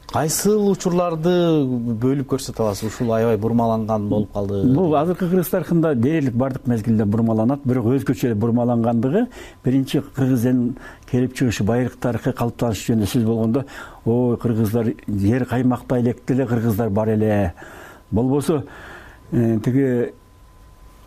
Кайсыл учурларды бөлүп көрсөтө аласыз? Ушул аябай бурмаланган болуп калды. Бул азыркы кыргыз тарыхында дээрлик бардык мезгилде бурмаланат, бирок өзгөчө бурмалангандыгы биринчи кыргыз элинин келип чыгышы, байыркы тарыхый калыптанышы жөнүндө сөз болгондо, ой кыргыздар жер каймактай электе эле кыргыздар бар эле. Болбосо тиги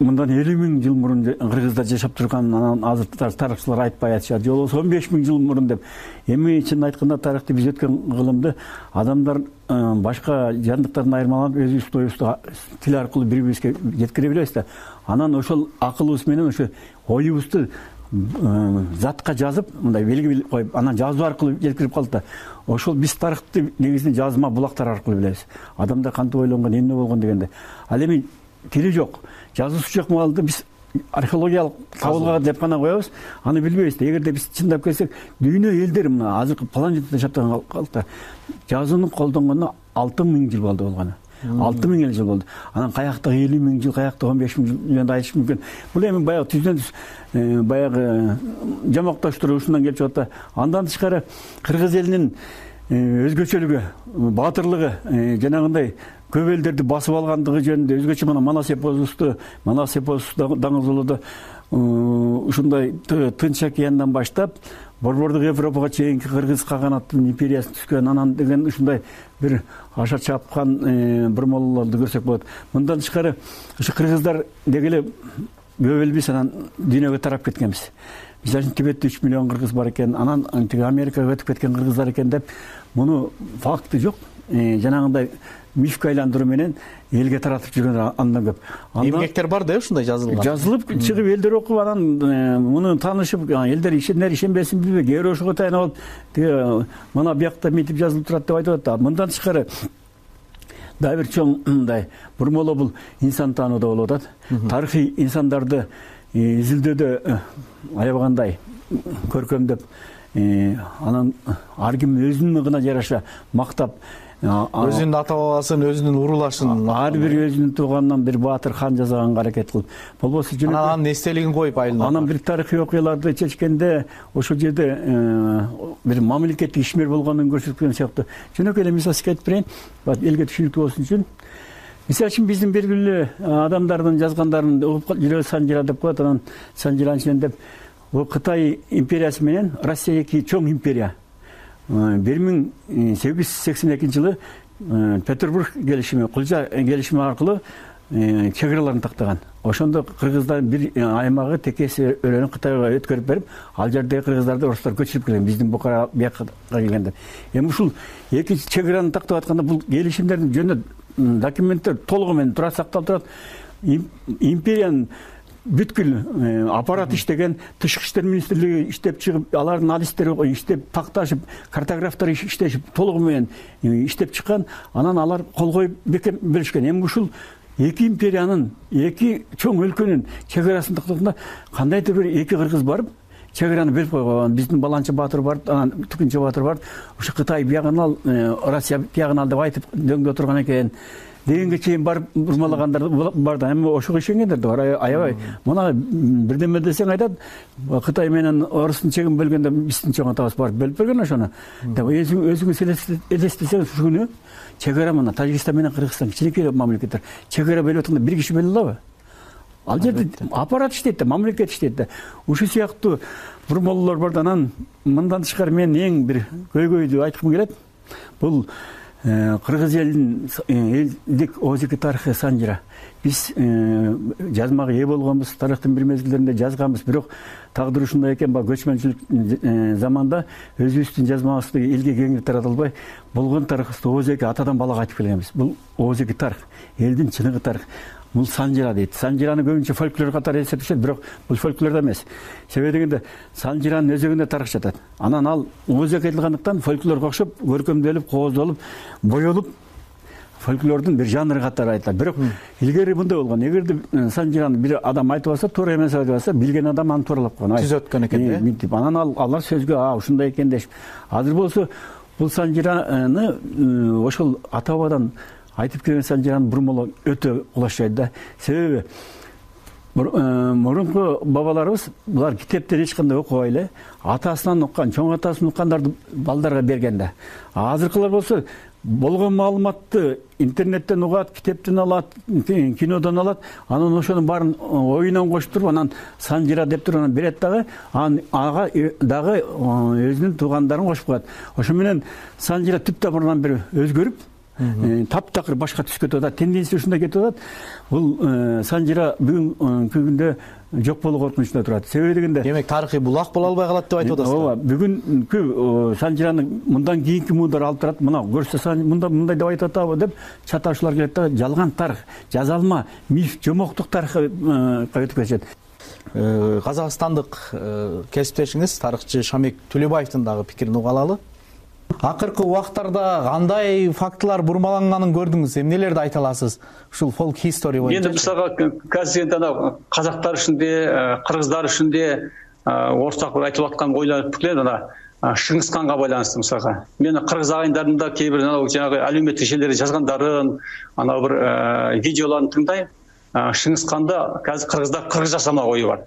мындан 50 000 жыл мурун кыргыздар жашап турган, анан азыр тарыхчылар айтпай атышат, же болбосо 15 000 жыл мурун деп. Эми чын айтканда тарыхты биз өткөн кылымды адамдар башка жандыктардан айырмаланып өзүбүз оюбузду тил аркылуу бири бирибизге жеткире билебиз да. Анан ошол акылыбыз менен ошо оюбузду затка жазып, мындай белги коюп, анан жазуу аркылуу жеткирип калдык да. Ошол биз тарыхты негизинен жазма булактар аркылуу билебиз. Адамдар кантип ойлонгон, эмне болгон дегенде. Ал эми тили жок, жазуусу жок маалда биз археологиялык табылга деп гана коебуз, аны билбейбиз да. Эгерде биз чындап келсек, дүйнө элдери мына азыркы планетада жашап турган калкта жазууну колдонгонуна 6 000 жыл болду болгону. 6 000 жыл болду. Анан каякта 50 000 жыл, каякта 15 000 жыл жөнүндө айтыш мүмкүн. Бул эми баягы түздөн баягы жамоктоштуруп ушундан келип чыгат да. Андан тышкары кыргыз элинин өзгөчөлүгү, баатырлыгы, жанагындай көп элдерди басып алгандыгы жөнүндө өзгөчө мына Манас эпосу даңгызуулоодо ушундай Тынч океандан баштап Борбордук Европага чейинки кыргыз каганаттын империясы түшкөн, анан деген ушундай бир аша чапкан бурмалоолорду көрсөк болот. Мындан тышкары ушу кыргыздар деги эле көп элбиз, анан дүйнөгө тарап кеткенбиз. Мисалы Тибетте 3 миллион кыргыз бар экен, анан тиги Америкага өтүп кеткен кыргыздар экен деп, муну факты жок. Жанагындай мифке айландыруу менен элге таратып жүргөн андан көп. Эмгектер бар да ушундай жазылган. Жазылып чыгып элдер окуп, анан муну таанышып, элдер ишенер ишенбесин билбей, кээ бирөө ошого таянып алып, тиги мына биякта мынтип жазылып турат деп айтып атат. Мындан тышкары дагы бир чоң мындай бурмалоо бул инсан таанууда болуп атат. Тарыхый инсандарды изилдөөдө аябагандай көркөмдөп, анан ар ким өзүнүн гына жараша мактап, өзүнүн ата бабасын, өзүнүн урулашын, ар бир өзүнүн тууганынан бир баатыр хан жасаганга аракет кылып, болбосо анан эстелигин коюп айылына. Анан бир тарыхый окуяларды чечкенде ошол жерде бир мамлекеттик ишмер болгонун көрсөткөн сыяктуу. Жөнөкөй эле мисал айтып берейин, элге түшүнүктүү болсун үчүн. Мисалы үчүн биздин белгилүү адамдардын жазгандарын угуп жүрөбүз, Санжира деп коет, анан Санжиранын ичинен деп Кытай империясы менен Россия эки чоң империя. 1882 жылы Петербург келишими, Кулжа келишими аркылуу чек-араларын тактаган. Ошондо кыргыздардын бир аймагы текеси өрөөнү Кытайга өткөрүп берип, ал жердеги кыргыздарды орустар көчүрүп келген, биздин Букара бияка келгенде. Эми ушул эки чек-араны тактап атканда бул келишимдердин жөнүндө документтер толугу менен тура сакталып турат. Империянын бүткүл аппарат иштеген, тышкы иштер министрлиги иштеп чыгып, алардын адистери иштеп, такташып, картографтар иштешип, толугу менен иштеп чыккан. Анан алар кол коюп беришкен. Эми ушул эки империянын, эки чоң өлкөнүн чек-арасын тактаганда кандайдыр бир эки кыргыз барып, чек-араны берип койгон. Биздин Баланчы баатыр бар, анан Түкүнчө баатыр бар. Ушу Кытай биягын ал, Россия биягын ал деп айтып дөңдө турган экен дегенге чейин барып бурмалагандар бар да. Эми ошого ишенгендер да бар. Аябай мына бирдеме десең айтат, Кытай менен орустун чегин бөлгөндө биздин чоң атабыз барып бөлүп берген ошону деп. Өзүңүз элестесеңиз ушул күнү чек-ара мына Тажикстан менен Кыргызстан кичинекей мамлекеттер чек-ара бөлүп атканда бир киши бөлө алабы? Ал жерде аппарат иштейт да, мамлекет иштейт да. Ушул сыяктуу бурмалоолор бар да. Анан мындан тышкары мен эң бир көйгөйдү айткым келет. Бул кыргыз элинин элдик оозеки тарыхы Санжира. Биз жазмага ээ болгонбуз, тарыхтын бир мезгилдеринде жазганбыз, бирок тагдыр ушундай экен, көчмөнчүлүк заманда өзүбүздүн жазмабызды элге кеңири тарата албай, болгон тарыхыбызды оозеки атадан балага айтып келгенбиз. Бул оозеки тарых, элдин чыныгы тарых. Бул Санжира дейт. Санжираны көбүнчө фольклор катары эсептешет, бирок бул фольклор да эмес. Себеби дегенде Санжиранын өзөгүндө тарых жатат. Анан ал оозек айтылгандыктан фольклорго окшоп, көркөмдөлүп, кооздолуп, боелуп, фольклордун бир жанры катары айтылат. Бирок илгери мындай болгон. Эгерде Санжираны бир адам айтып алса, туура эмес айтып алса, билген адам аны тууралап койгон. Түз өткөн экен да. Мынтип. Анан алар сөзгө ушундай экен дешип. Азыр болсо бул Санжираны ошол ата бабадан айтып келген Санжираны бурмалоо өтө кулаш жай да. Себеби мурунку бабаларыбыз булар китептен эч кандай окубай эле атасынан уккан, чоң атасынан уккандарды балдарга берген да. Азыркылар болсо болгон маалыматты интернеттен угат, китептен алат, кинодон алат, анан ошонун баарын оюнан кошуп туруп, анан Санжира деп туруп анан берет дагы, ага дагы өзүнүн туугандарын кошуп коет. Ошо менен Санжира түп тамырынан бери өзгөрүп, таптакыр башка түскө кетип атат, тенденция ушундай кетип атат. Бул Санжира бүгүнкү күндө жок болуу коркунучунда турат. Себеби дегенде, демек тарыхый булак боло албай калат деп айтып атасыз. Ооба, бүгүнкү Санжираны мындан кийинки муундар алып турат. Мына көрсө мындай деп айтып атабы деп чаташуулар келет да, жалган тарых, жазалма, миф, жомоктук тарыхка өтүп кетишет. Казакстандык кесиптешиңиз тарыхчы Шамик Төлөбаевдин дагы пикирин уга алалы. Акыркы убактарда кандай фактылар бурмаланганын көрдүңүз? Эмнелерди айта аласыз? Ушул folk history боюнча. Эми мисалга казір анау казактар ішінде, кыргыздар ішінде ортак айтып аткан ойлар пикирлер ана Шыңгызханга байланыштуу мисалга. Мен кыргыз агайындарымда кейбир жанагы әлеуметтик желерде жазгандарын, анау бир видеоларын тыңдайм. Шыңгызханда казір кыргыздар кыргыз жасамак ою бар.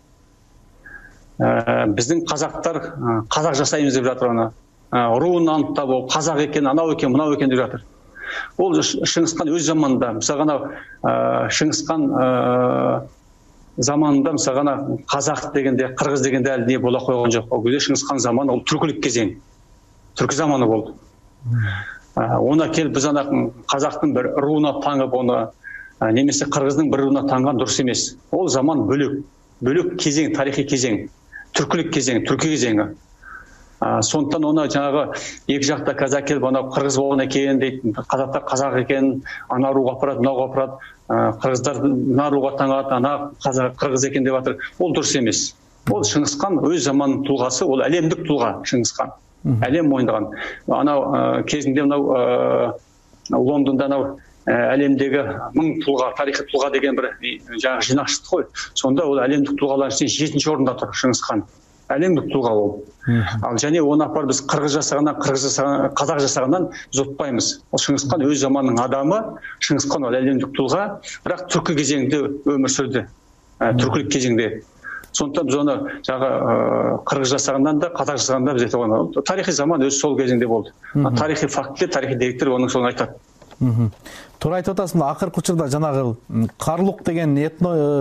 Биздин казактар казак жасайбыз деп жатыр аны. Руун анықтап, ол қазақ екен, анау екен, мынау екен деп жатыр. Ол Шыңгызхан өз заманында, мысалы Шыңгызхан заманында, мысалы қазақ дегенде, қырғыз дегенде әлі не бола қойған жоқ. Ол кезде Шыңгызхан заманы, ол түркілік кезең, түркі заманы болды. Ona келіп біз қазақтың бір руына таңып, оны немесе қырғыздың бір руына таңған дұрыс емес. Ол заман бөлек, бөлек кезең, тарихи кезең, түркілік кезең, түркі кезеңі. Сондықтан оны жаңағы екі жақта казак келіп, анау қырғыз болған екен дейді, қазақтар қазақ екен, ана руға апарады, мынауға апарады, қырғыздар мына руға таңады, ана қырғыз екен деп жатыр. Ол дұрыс емес. Ол Шыңгызхан өз заманның тұлғасы, ол әлемдік тұлға Шыңгызхан. Әлем мойындаған. Анау кезінде мынау Лондонда анау әлемдегі 1000 тұлға, тарихи тұлға деген бір жаңағы жинақ шықты ғой. Сонда ол әлемдік тұлғалар ішінде 7-ші орында тұр Шыңгызхан. Әлемдік тұлға ол. Ал және оны апар біз қырғыз жасағаннан, қазақ жасағаннан біз ұтпаймыз. Ол Шыңгызхан өз заманның адамы, Шыңгызхан ол әлемдік тұлға, бірақ түркі кезеңде өмір сүрді. Түркілік кезеңде. Сондықтан біз оны қырғыз жасағаннан да, қазақ жасағандан біз айтып оны. Тарихи заман өз сол кезеңде болды. Тарихи фактілер, тарихи деректер оның соны айтады. Туура айтып атасыз, акыркы учурда жанагы карлук деген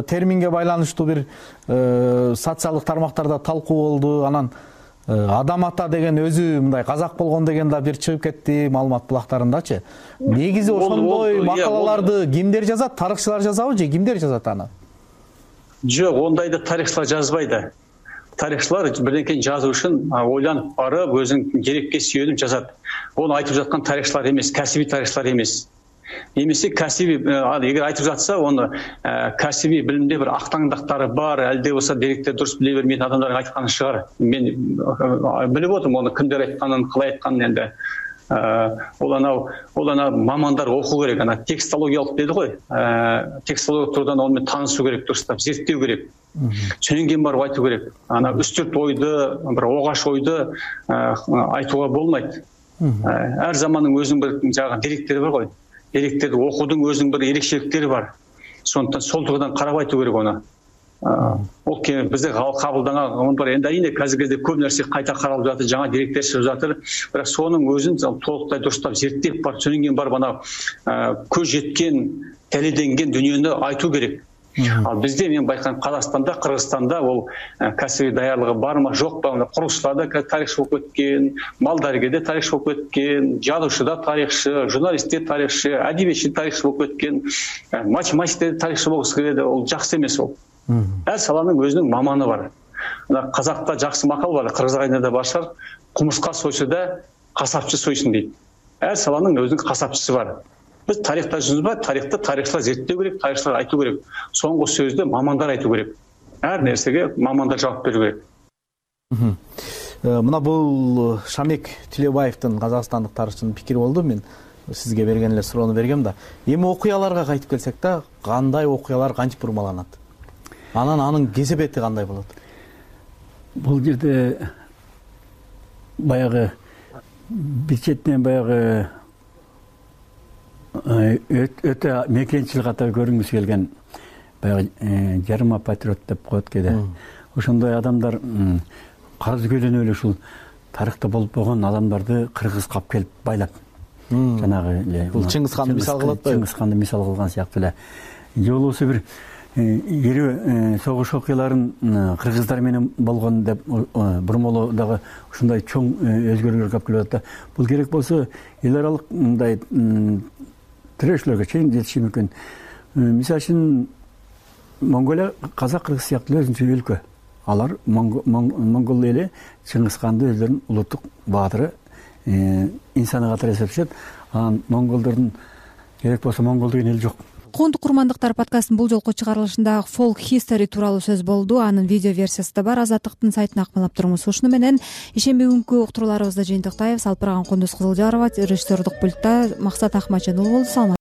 терминге байланыштуу бир социалдык тармактарда талкуу болду. Анан адам ата деген өзү мындай казак болгон деген да бир чыгып кетти маалымат булактарындачы. Негизи ошондой макалаларды кимдер жазат? Тарыхчылар жазабы же кимдер жазат аны? Жок, ондайды тарыхчылар жазбайды. Тарихчылар бірдеңкені жазу үшін ойланып барып, өзінің дерекке сүйеніп жазады. Оны айтып жатқан тарихчылар емес, кәсіби тарихчылар емес. Немесе кәсіби, егер айтып жатса, оны кәсіби білімде бір ақтаңдақтары бар, әлде болса деректер дұрыс біле бермейтін адамдардың айтқаны шығар. Мен біліп отырмын, оны кімдер айтқанын, қалай айтқанын енді. Ол анау мамандар оқу керек, текстологиялық деді ғой. Текстологиялық тұрдан онымен танысу керек, дұрыстап, зерттеу керек. Сонан кейін барып айту керек. Үстірт ойды, бір оғаш ойды айтуға болмайды. Әр заманның өзінің бір деректері бар ғой. Деректерді оқудың өзінің бір ерекшеліктері бар. Сондықтан сол тұрғыдан қарап айту керек оны. Ол бізде қабылданған оның бар. Енді әрине қазіргі кезде көп нәрсе қайта қаралып жатыр, жаңа деректер шығып жатыр. Бірақ соның өзін толықтай дұрыстап зерттеп барып, сонан кейін барып көз жеткен, дәлелденген дүниені айту керек. Ал бізде мен байқаймын, Қазақстанда, Қырғызстанда ол кәсіби даярлығы бар ма, жоқ па? Құрылысшыларда тарихшы болып өткен, мал дәрігерде тарихшы болып өткен, жазушыда тарихшы, журналистте тарихшы, әдебиетші тарихшы болып өткен, математикте тарихшы болғысы келеді. Ол жақсы емес ол. Әр саланың өзінің маманы бар. Қазақта жақсы мақал бар, қырғыз ағайында бар шығар, құмырсқа сойса да қасапшы сойсын дейді. Әр саланың өзінің қасапшысы бар. Біз тарихта жүрміз ба, тарихты тарихшылар зерттеу керек, тарихшылар айту керек. Соңғы сөзді мамандар айту керек. Әр нәрсеге мамандар жауап беру керек. Мына бул Шамик Төлөбаевдин, Казакстандык тарыхчынын пикири болду. Мен сизге берген эле суроону бергем да. Эми окуяларга кайтып келсек да, кандай окуялар кантип бурмаланат? Анын кесепети кандай болот? Бул жерде баягы бир четинен баягы өтө мекенчил катары көрүнгүсү келген баягы жарыма патриот деп коет кээде. Ошондой адамдар карыз көлөнүп эле ушул тарыхта болуп койгон адамдарды кыргызга алып келип байлап, жанагы эле бул Чыңгыз ханды мисал кылып атпайбы? Чыңгыз ханды мисал кылган сыяктуу эле. Же болбосо бир ирүү согуш окуяларын кыргыздар менен болгон деп бурмоло дагы ушундай чоң өзгөрүүлөргө алып келип атат да. Бул керек болсо эл аралык мындай тирешүүлөргө чейин жетиши мүмкүн. Мисалы үчүн Монголия казак, кыргыз сыяктуу өзүнчө өлкө. Алар монгол эли Чыңгыз ханды өздөрүнүн улуттук баатыры, инсаны катары эсептешет. Анан монголдордун керек болсо монгол деген эл жок. Коондук курмандыктар подкастынын бул жолку чыгарылышында folk history тууралуу сөз болду. Анын видео версиясы да бар. Азаттыктын сайтына акмалап туруңуз. Ушуну менен ишемби күнкү уктурууларыбызды жыйынтыктайбыз. Алып барган Кундуз Кызылжарова, режиссердук пультта Максат Акмачен уулу болду.